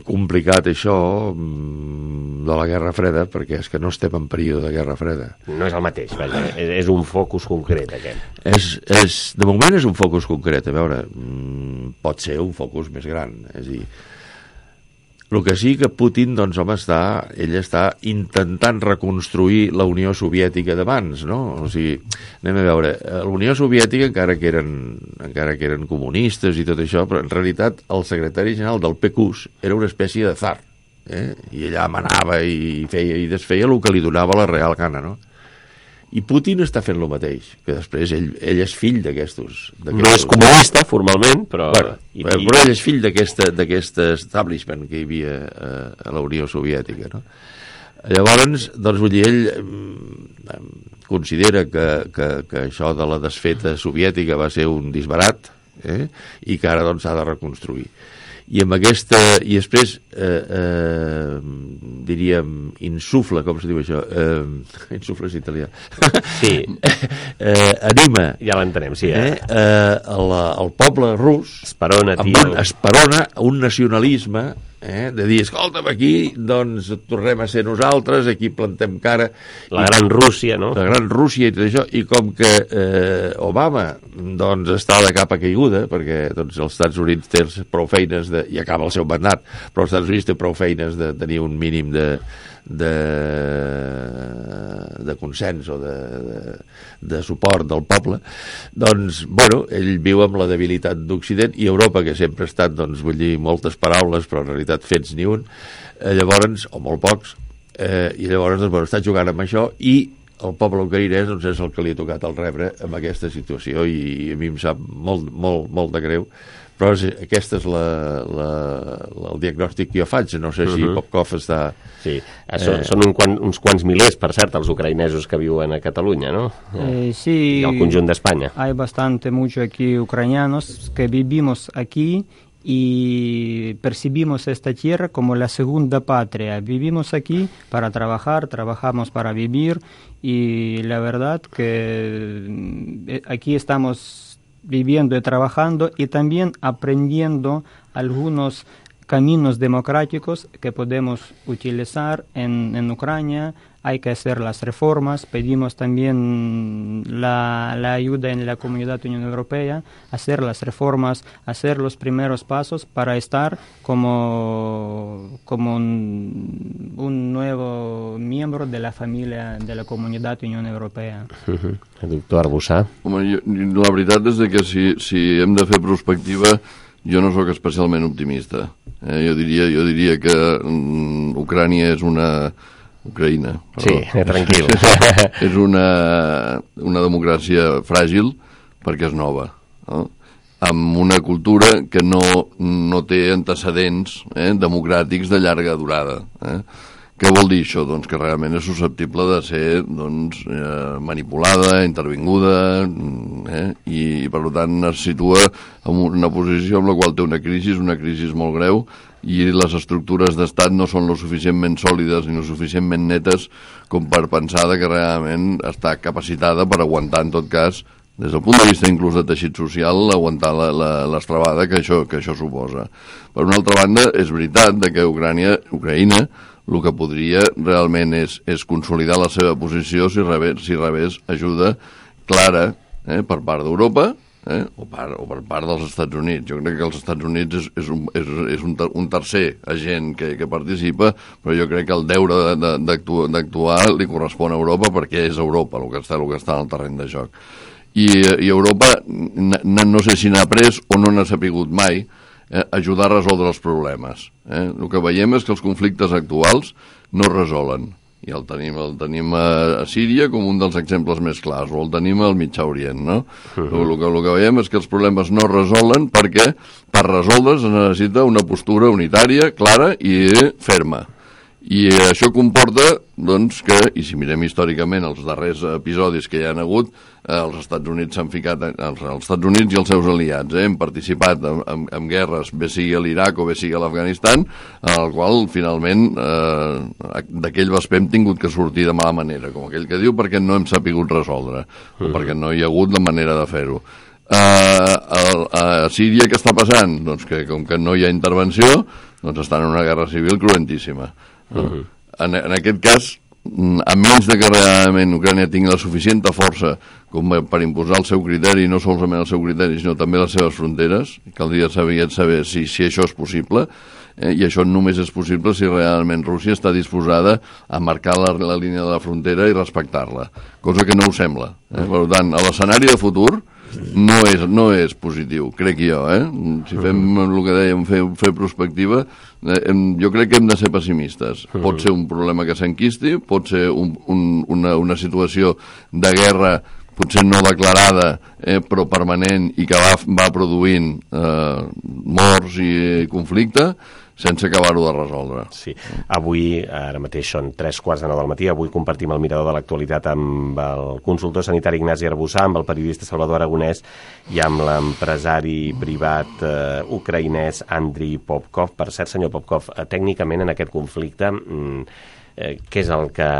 complicat això de la Guerra Freda, perquè és que no estem en període de Guerra Freda. No és el mateix, vaja, és un focus concret, aquest. De moment és un focus concret, a veure, pot ser un focus més gran, és a dir, el que sí que Putin, doncs, home, ell està intentant reconstruir la Unió Soviètica d'abans, no? O sigui, anem a veure, la Unió Soviètica, encara que eren comunistes i tot això, però en realitat el secretari general del PQS era una espècie de tsar, i allà manava i feia i desfeia el que li donava la real gana, no? I Putin està fent el mateix, que després ell és fill d'aquestos... No és comunista, formalment, però... Bueno, però ell és fill d'aquest establishment que hi havia a la Unió Soviètica, no? Llavors, doncs, vull dir, ell considera que això de la desfeta soviètica va ser un disbarat, i que ara, doncs, s'ha de reconstruir. I amb aquesta... I després, diríem, insufla, com se diu això? Insufla és italià. Sí. Anima. Ja l'entenem, sí. El poble rus... Esperona, tio. Esperona un nacionalisme, de dir, escolta'm, aquí, doncs, tornem a ser nosaltres, aquí plantem cara... La gran Rússia, no? La gran Rússia i tot això, i com que Obama, doncs, està de capa caiguda, perquè, doncs, els Estats Units té prou feines i acaba el seu mandat, però els Estats Units té prou feines de tenir un mínim de consens o de suport del poble, doncs, bueno, ell viu amb la debilitat d'Occident i Europa, que sempre ha estat, doncs, vull dir, moltes paraules, però en realitat fets ni un, llavors, o molt pocs, i llavors, doncs, bueno, està jugant amb això i el poble ucraïnès, doncs, és el que li ha tocat el rebre amb aquesta situació i a mi em sap molt de greu. Però aquest és el diagnòstic que jo faig. No sé si Popkov està... Sí, són uns quants milers, per cert, els ucraïnesos que viuen a Catalunya, ¿no? Sí. Y al conjunt d'Espanya. Hay mucho aquí ucranianos que vivimos aquí y percibimos esta tierra como la segunda patria. Vivimos aquí para trabajar, trabajamos para vivir y la verdad que aquí estamos viviendo y trabajando y también aprendiendo algunos caminos democráticos que podemos utilizar en Ucrania. Hay que hacer las reformas, pedimos también la ayuda en la Comunidad Unión Europea, hacer las reformas, hacer los primeros pasos para estar como un nuevo miembro de la familia de la Comunidad Unión Europea. Doctor Arbussà. Home, la veritat és que si hem de fer prospectiva, jo no sóc especialment optimista. Jo diria que Ucrània és Ucraïna. Sí, tranquil. És una democràcia fràgil perquè és nova, no? Amb una cultura que no té antecedents democràtics de llarga durada. Què vol dir això? Doncs que realment és susceptible de ser manipulada, intervinguda, i per tant es situa en una posició en la qual té una crisi molt greu, i les estructures d'estat no són lo suficientment sòlides ni lo suficientment netes com per pensar que realment està capacitada per aguantar, en tot cas, des del punt de vista inclús de teixit social, aguantar l'estrabada que això suposa. Per una altra banda, és veritat que Ucraïna el que podria realment és consolidar la seva posició si rebés ajuda clara per part d'Europa, o per part dels Estats Units. Jo crec que els Estats Units és un tercer agent que participa, però jo crec que el deure d'actuar li correspon a Europa perquè és Europa el que està en el terreny de joc. I Europa no sé si n'ha après o no n'ha sapigut mai ajudar a resoldre els problemes. El que veiem és que els conflictes actuals no es resolen. I el tenim a Síria com un dels exemples més clars, o el tenim al Mitjà Orient, no? El que veiem és que els problemes no es resolen perquè per resoldre's es necessita una postura unitària, clara i ferma. I això comporta, doncs, que, i si mirem històricament els darrers episodis que hi han hagut, els Estats Units s'han ficat, els Estats Units i els seus aliats, han participat en guerres, bé sigui a l'Iraq o bé sigui a l'Afganistan, en el qual, finalment, d'aquell vesper hem tingut que sortir de mala manera, com aquell que diu, perquè no hem sapigut resoldre, o perquè no hi ha hagut la manera de fer-ho. A Síria què està passant? Doncs que, com que no hi ha intervenció, doncs estan en una guerra civil cruentíssima. En aquest cas, a menys de que realment Ucrània tingui la suficient força com per imposar el seu criteri, no solament el seu criteri, sinó també les seves fronteres, caldria saber si això és possible, i això només és possible si realment Rússia està disposada a marcar la línia de la frontera i respectar-la, cosa que no ho sembla. Per tant, a l'escenari de futur no és positiu, crec jo. Si fem el que dèiem, fer prospectiva, jo crec que hem de ser pessimistes. Pot ser un problema que s'enquisti, pot ser una situació de guerra potser no declarada, però permanent, i que va produint morts i conflicte, sense acabar-ho de resoldre. Sí. Avui, ara mateix són 3:15 del matí, avui compartim el mirador de l'actualitat amb el consultor sanitari Ignasi Arbussà, amb el periodista Salvador Aragonès i amb l'empresari privat ucraïnès Andriy Popkov. Per cert, senyor Popkov, tècnicament en aquest conflicte, què és el que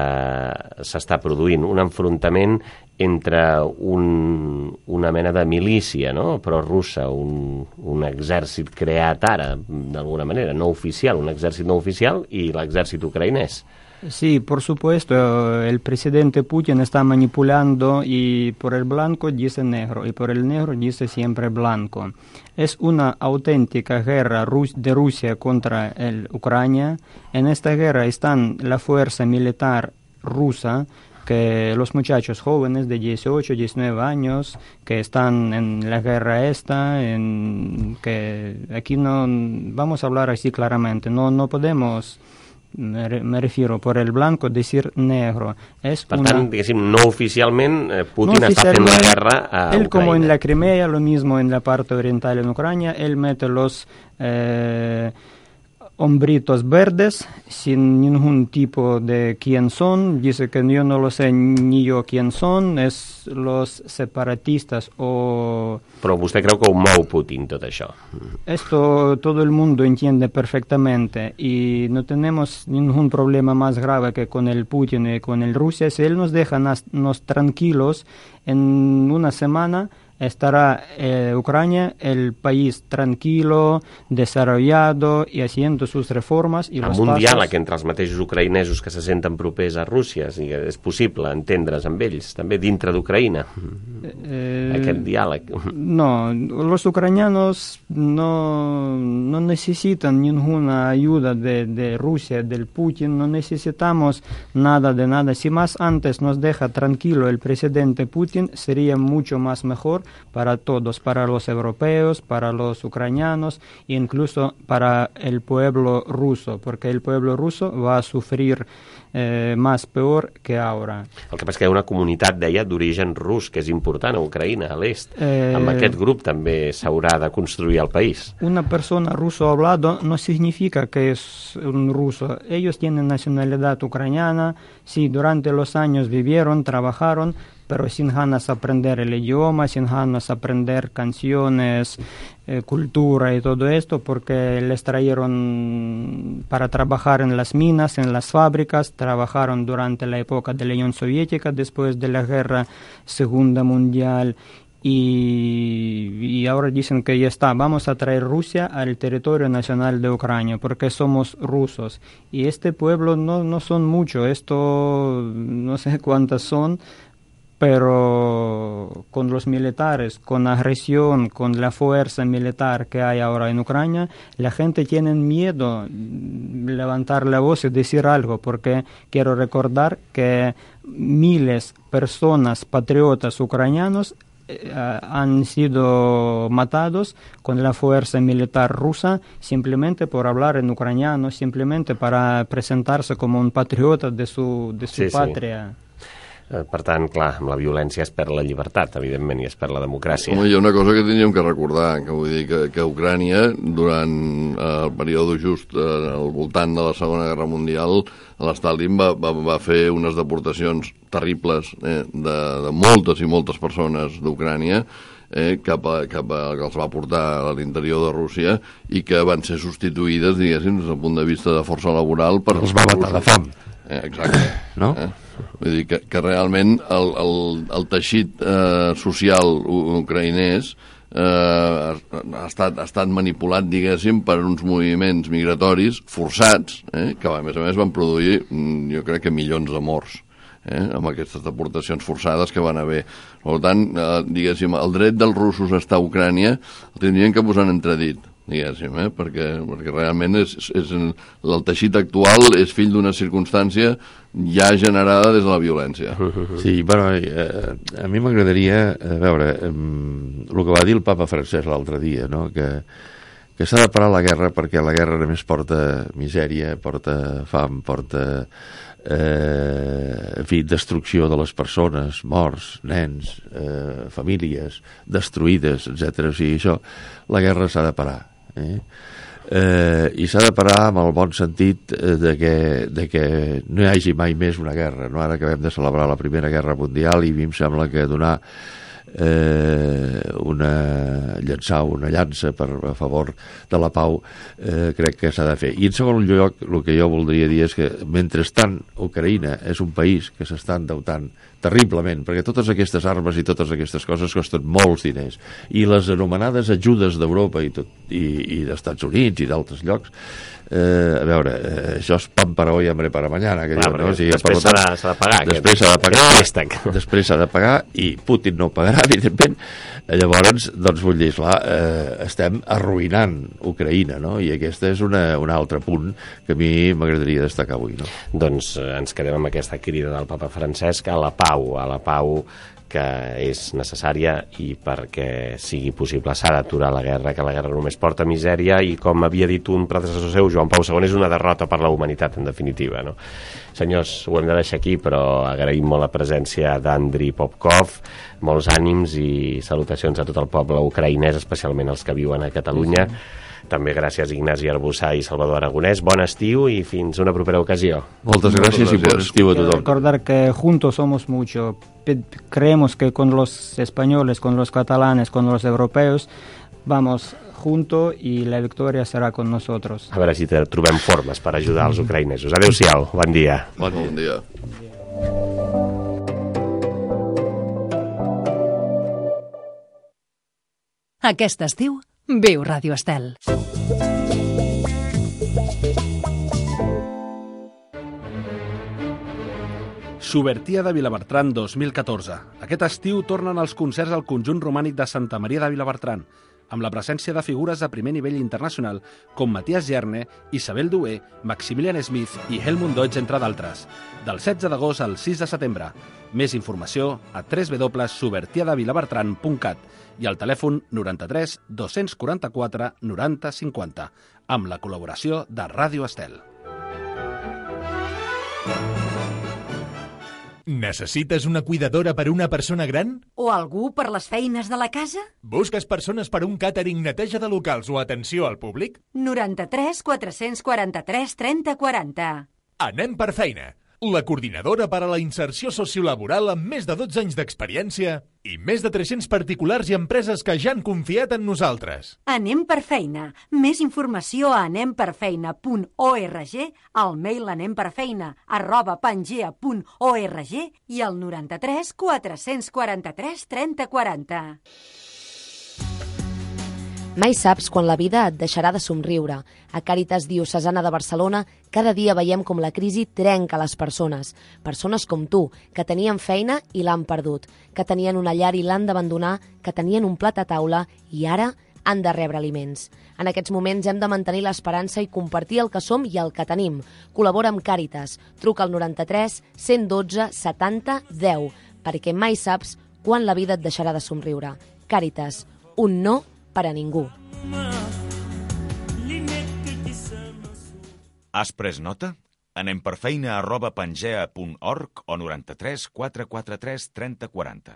s'està produint? Un enfrontament entre una mena de milícia, no? Però russa, un exèrcit creat ara, d'alguna manera, no oficial, un exèrcit no oficial, i l'exèrcit ucraïnès. Sí, por supuesto, el presidente Putin está manipulando y por el blanco dice negro y por el negro dice siempre blanco. Es una auténtica guerra de Rusia contra Ucrania. En esta guerra están la fuerza militar rusa, que los muchachos jóvenes de 18, 19 años que están en la guerra esta, que aquí no vamos a hablar así claramente, no podemos... Me refiero por el blanco decir negro. Per tant, diguéssim, no oficialment Putin està fent la guerra a Ucrania. Él, como en la Crimea, lo mismo en la parte oriental en Ucrania, él mete los hombritos verdes sin ningún tipo de quién son, dice que yo no lo sé ni yo quién son, es los separatistas o... Però vostè creu que ho mou Putin, tot això? Esto todo el mundo entiende perfectamente y no tenemos ningún problema más grave que con el Putin y con el Rusia. Si él nos deja nos tranquilos, en una semana estará Ucrania, el país tranquilo, desarrollado y haciendo sus reformas. I amb un diàleg entre els mateixos ucraïnesos que se senten propers a Rússia, és possible entendre's amb ells, també dintre d'Ucraïna, aquest diàleg. No, los ucranianos no necesitan ninguna ayuda de Rusia, del Putin, no necesitamos nada de nada. Si más antes nos deja tranquilo el presidente Putin, sería mucho más mejor para todos, para los europeos, para los ucranianos, e incluso para el pueblo ruso, porque el pueblo ruso va a sufrir más peor que ahora. El que passa que hi ha una comunitat, deia, d'origen rus, que és important a Ucraïna, a l'est. Amb aquest grup també s'haurà de construir el país. Una persona ruso hablado no significa que es un ruso. Ellos tienen nacionalidad ucraniana, sí, durante los años vivieron, trabajaron, pero sin ganas de aprender el idioma, sin ganas de aprender canciones, cultura y todo esto, porque les trajeron para trabajar en las minas, en las fábricas, trabajaron durante la época de la Unión Soviética, después de la Guerra Segunda Mundial, y ahora dicen que ya está, vamos a traer Rusia al territorio nacional de Ucrania, porque somos rusos. Y este pueblo no son mucho, esto no sé cuántas son, pero con los militares, con agresión, con la fuerza militar que hay ahora en Ucrania, la gente tiene miedo levantar la voz y decir algo, porque quiero recordar que miles de personas, patriotas ucranianos, han sido matados con la fuerza militar rusa simplemente por hablar en ucraniano, simplemente para presentarse como un patriota de su patria. Per tant, clar, amb la violència es perd la llibertat, evidentment, i es perd la democràcia. Home, hi ha una cosa que tindríem que recordar, que vull dir que Ucrània, durant el període just al voltant de la Segona Guerra Mundial, l'Stalin va fer unes deportacions terribles de moltes i moltes persones d'Ucrània que els va portar a l'interior de Rússia i que van ser substituïdes, diguéssim, des del punt de vista de força laboral per... Els va matar de fam. Exacte. No? Vull dir que realment el teixit social ucraïnès ha estat manipulat, diguéssim, per uns moviments migratoris forçats, que a més van produir, jo crec que milions de morts amb aquestes deportacions forçades que van haver. Per tant, diguéssim, el dret dels russos a estar a Ucrània el tindrien que posar en entredit, diguéssim, perquè realment el teixit actual és fill d'una circumstància ja generada des de la violència. Sí, bueno, a mi m'agradaria veure el que va dir el papa Francesc l'altre dia, no? Que s'ha de parar la guerra perquè la guerra només porta misèria, porta fam, porta en fi, destrucció de les persones, morts, nens, famílies destruïdes, etc. O sigui, això, la guerra s'ha de parar. I s'ha de parar amb el bon sentit de que no hi hagi mai més una guerra, no? Ara acabem de celebrar la Primera Guerra Mundial i a mi em sembla que donar llançar una llança a favor de la pau crec que s'ha de fer. I en segon lloc, el que jo voldria dir és que mentrestant Ucraïna és un país que s'està endeutant terriblement, perquè totes aquestes armes i totes aquestes coses costen molts diners, i les anomenades ajudes d'Europa i d'Estats Units i d'altres llocs, a veure, això és pan para hoy, hambre para mañana, que diuen, no? O sigui, després s'ha de pagar. Després s'ha de pagar i Putin no pagarà, evidentment. Llavors, doncs vull dir, clar, estem arruïnant Ucraïna, no? I aquest és un altre punt que a mi m'agradaria destacar avui, no? Doncs ens quedem amb aquesta crida del papa Francesc a la pau que és necessària, i perquè sigui possible s'ha d'aturar la guerra, que la guerra només porta misèria i, com havia dit un predecessor seu, Joan Pau II, és una derrota per la humanitat, en definitiva, no? Senyors, ho hem de deixar aquí, però agraïm molt la presència d'Andriy Popkov, molts ànims i salutacions a tot el poble ucraïnès, especialment els que viuen a Catalunya. També gràcies Ignasi Arbussà i Salvador Aragonès. Bon estiu i fins una propera ocasió. Moltes gràcies i bon estiu a tothom. Recordar que juntos somos mucho. Creemos que con los españoles, con los catalanes, con los europeos, vamos juntos y la victoria será con nosotros. A veure si trobem formes per ajudar els ucraïnesos. Adéu-siau, bon dia. Bon dia. Aquest estiu, viu Ràdio Estel. Subertia de Vilabertran 2014. Aquest estiu tornen els concerts al conjunt romànic de Santa Maria de Vilabertran, amb la presència de figures de primer nivell internacional com Matías Gerne, Isabel Dué, Maximilian Smith i Helmut Deutsch, entre d'altres. Del 16 d'agost al 6 de setembre. Més informació a www.subertiadevilabertran.cat i al telèfon 93 244 90 50, amb la col·laboració de Ràdio Estel. Necessites una cuidadora per a una persona gran? O algú per les feines de la casa? Busques persones per a un càtering, neteja de locals o atenció al públic? 93 443 30 40. Anem per feina. La coordinadora per a la inserció sociolaboral amb més de 12 anys d'experiència i més de 300 particulars i empreses que ja han confiat en nosaltres. Anem per feina. Més informació a anemperfeina.org, al mail anemperfeina@pangea.org i al 93 443 30 40. Mai saps quan la vida et deixarà de somriure. A Càritas Diocesana de Barcelona cada dia veiem com la crisi trenca les persones. Persones com tu, que tenien feina i l'han perdut, que tenien una llar i l'han d'abandonar, que tenien un plat a taula i ara han de rebre aliments. En aquests moments hem de mantenir l'esperança i compartir el que som i el que tenim. Col·labora amb Càritas. Truca al 93 112 70 10, perquè mai saps quan la vida et deixarà de somriure. Càritas, un no per a ningú. Has pres nota? anemperfeina@pangea.org o 93 443 3040.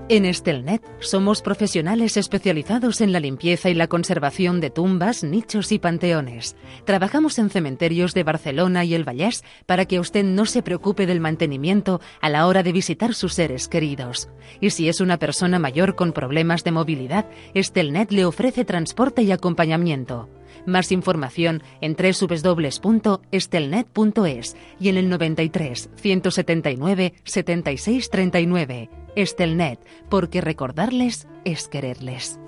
En Estelnet somos profesionales especializados en la limpieza y la conservación de tumbas, nichos y panteones. Trabajamos en cementerios de Barcelona y el Vallès para que usted no se preocupe del mantenimiento a la hora de visitar sus seres queridos. Y si es una persona mayor con problemas de movilidad, Estelnet le ofrece transporte y acompañamiento. Más información en www.estelnet.es y en el 93 179 76 39. Estelnet, porque recordarles es quererles.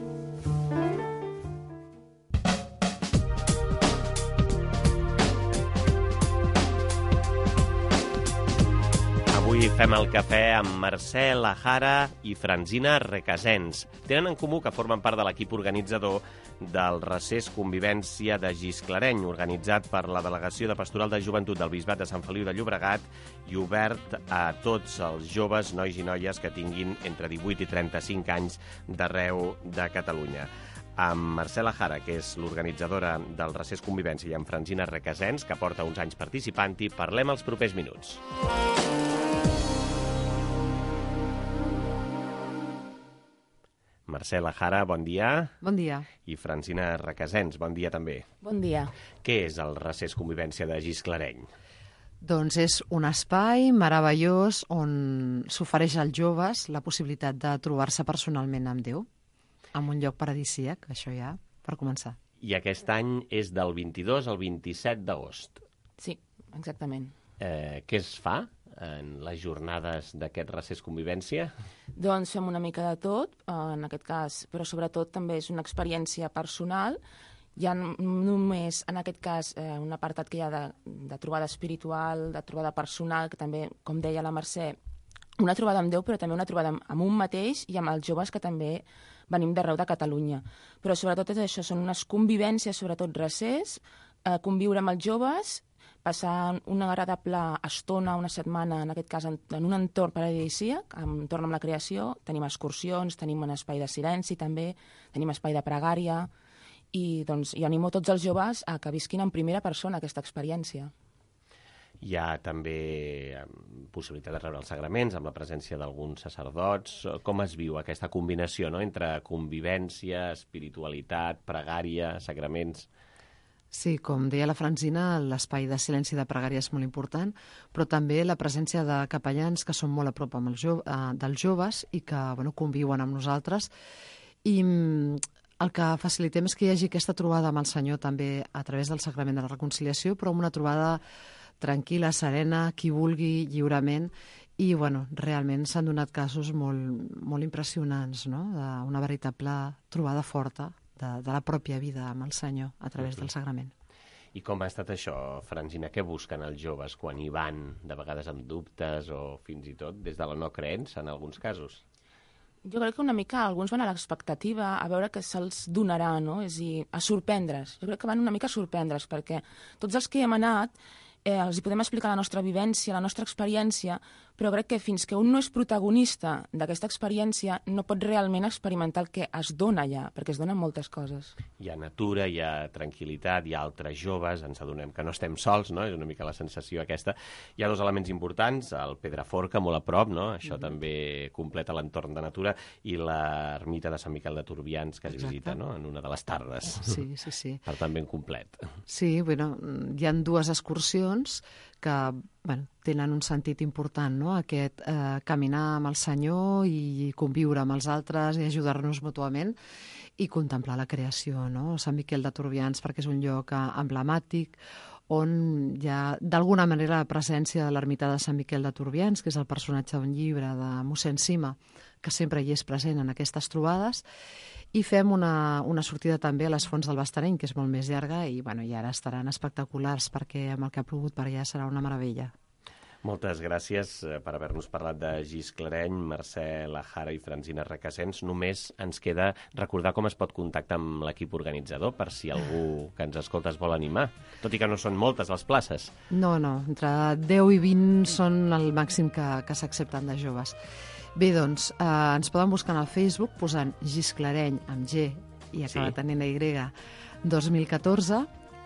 Avui fem el cafè amb Mercè Lajara i Francina Recasens. Tenen en comú que formen part de l'equip organitzador del Recés Convivència de Gisclareny, organitzat per la Delegació de Pastoral de Joventut del Bisbat de Sant Feliu de Llobregat i obert a tots els joves, nois i noies que tinguin entre 18 i 35 anys d'arreu de Catalunya. Amb Mercè Lajara, que és l'organitzadora del Recés Convivència, i amb Francina Recasens, que porta uns anys participant-hi, parlem els propers minuts. Mercè Lajara, bon dia. Bon dia. I Francina Recasens, bon dia també. Bon dia. Què és el Recés Convivència de Gisclareny? Doncs és un espai meravellós on s'ofereix als joves la possibilitat de trobar-se personalment amb Déu, en un lloc paradisíac, això ja, per començar. I aquest any és del 22 al 27 d'agost. Sí, exactament. Què es fa en les jornades d'aquest Recés Convivència? Doncs fem una mica de tot, en aquest cas, però sobretot també és una experiència personal. Hi ha només, en aquest cas, un apartat que hi ha de trobada espiritual, de trobada personal, que també, com deia la Mercè, una trobada amb Déu, però també una trobada amb un mateix i amb els joves que també venim d'arreu de Catalunya. Però sobretot és això, són unes convivències, sobretot recés, conviure amb els joves, passar una agradable estona, una setmana, en aquest cas, en un entorn paradisíac, entorn amb la creació. Tenim excursions, tenim un espai de silenci també, tenim espai de pregària, i doncs jo animo tots els joves a que visquin en primera persona aquesta experiència. Hi ha també possibilitat de rebre els sagraments amb la presència d'alguns sacerdots. Com es viu aquesta combinació, no?, entre convivència, espiritualitat, pregària, sagraments? Sí, com deia la Francina, l'espai de silenci de pregària és molt important, però també la presència de capellans que són molt a prop dels joves i que conviuen amb nosaltres. I el que facilitem és que hi hagi aquesta trobada amb el Senyor també a través del Sagrament de la Reconciliació, però una trobada tranquil·la, serena, qui vulgui, lliurement, i realment s'han donat casos molt impressionants, no?, d'una veritable trobada forta de la pròpia vida amb el Senyor a través del Sagrament. I com ha estat això, Francina? Què busquen els joves quan hi van, de vegades amb dubtes o fins i tot des de la no creença en alguns casos? Jo crec que una mica alguns van a l'expectativa a veure què se'ls donarà, no? És a dir, a sorprendre's. Jo crec que van una mica a sorprendre's, perquè tots els que hi hem anat els hi podem explicar la nostra vivència, la nostra experiència, però crec que fins que un no és protagonista d'aquesta experiència no pot realment experimentar el que es dona allà, perquè es donen moltes coses. Hi ha natura, hi ha tranquil·litat, hi ha altres joves, ens adonem que no estem sols, no?, és una mica la sensació aquesta. Hi ha dos elements importants, el Pedraforca, molt a prop, no?, això també completa l'entorn de natura, i l'ermita de Sant Miquel de Turbians, que es visita, no?, en una de les tardes. Sí, sí, sí. Per tant, ben complet. Sí, hi ha dues excursions que tenen un sentit important, no?, aquest caminar amb el Senyor i conviure amb els altres i ajudar-nos mútuament i contemplar la creació, no? Sant Miquel de Turbians, perquè és un lloc emblemàtic on hi ha d'alguna manera la presència de l'ermità de Sant Miquel de Turbians, que és el personatge d'un llibre de mossèn Sima, que sempre hi és present en aquestes trobades, i fem una sortida també a les Fonts del Bastareny, que és molt més llarga, i ara estaran espectaculars, perquè amb el que ha plogut per allà serà una meravella. Moltes gràcies per haver-nos parlat de Gisclareny, Mercè Lajara i Francina Recasens. Només ens queda recordar com es pot contactar amb l'equip organitzador per si algú que ens escolta es vol animar, tot i que no són moltes les places. No, entre 10 i 20 són el màxim que s'accepten de joves. Bé, doncs, ens poden buscar al Facebook posant Gisclareny amb G i acabat tenint Y 2014,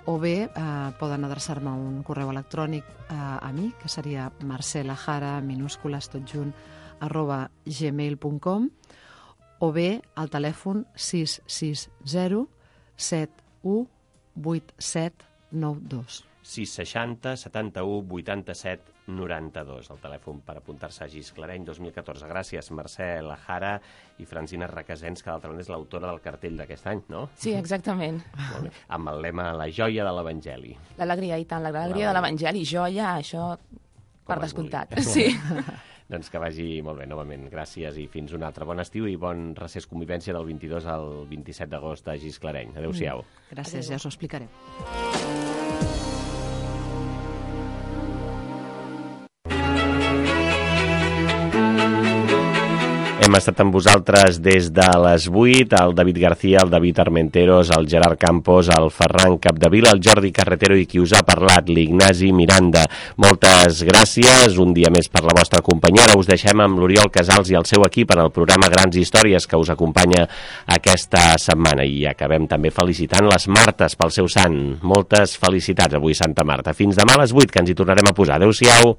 o bé poden adreçar-me un correu electrònic a mi, que seria marcelajara, minúscules tot junt, @gmail.com, o bé al telèfon 660 71 8792. 660 71 87 92, el telèfon per apuntar-se a Gisclareny 2014. Gràcies, Mercè Lajara i Francina Requesens, que d'altra banda és l'autora del cartell d'aquest any, no? Sí, exactament. Molt bé. Amb el lema La joia de l'Evangeli. L'alegria, i tant, l'alegria de l'Evangeli, joia, això per descomptat. Sí. Doncs que vagi molt bé, novament. Gràcies i fins un altre. Bon estiu i bon recés convivència del 22 al 27 d'agost a Gisclareny. Adéu-siau. Gràcies, ja us ho explicaré. Hem estat amb vosaltres des de les 8, el David García, el David Armenteros, el Gerard Campos, el Ferran Capdevila, el Jordi Carretero i qui us ha parlat, l'Ignasi Miranda. Moltes gràcies, un dia més per la vostra companyia. Ara us deixem amb l'Oriol Casals i el seu equip en el programa Grans Històries que us acompanya aquesta setmana. I acabem també felicitant les Martes pel seu sant. Moltes felicitats avui, Santa Marta. Fins demà a les 8, que ens hi tornarem a posar. Adéu-siau.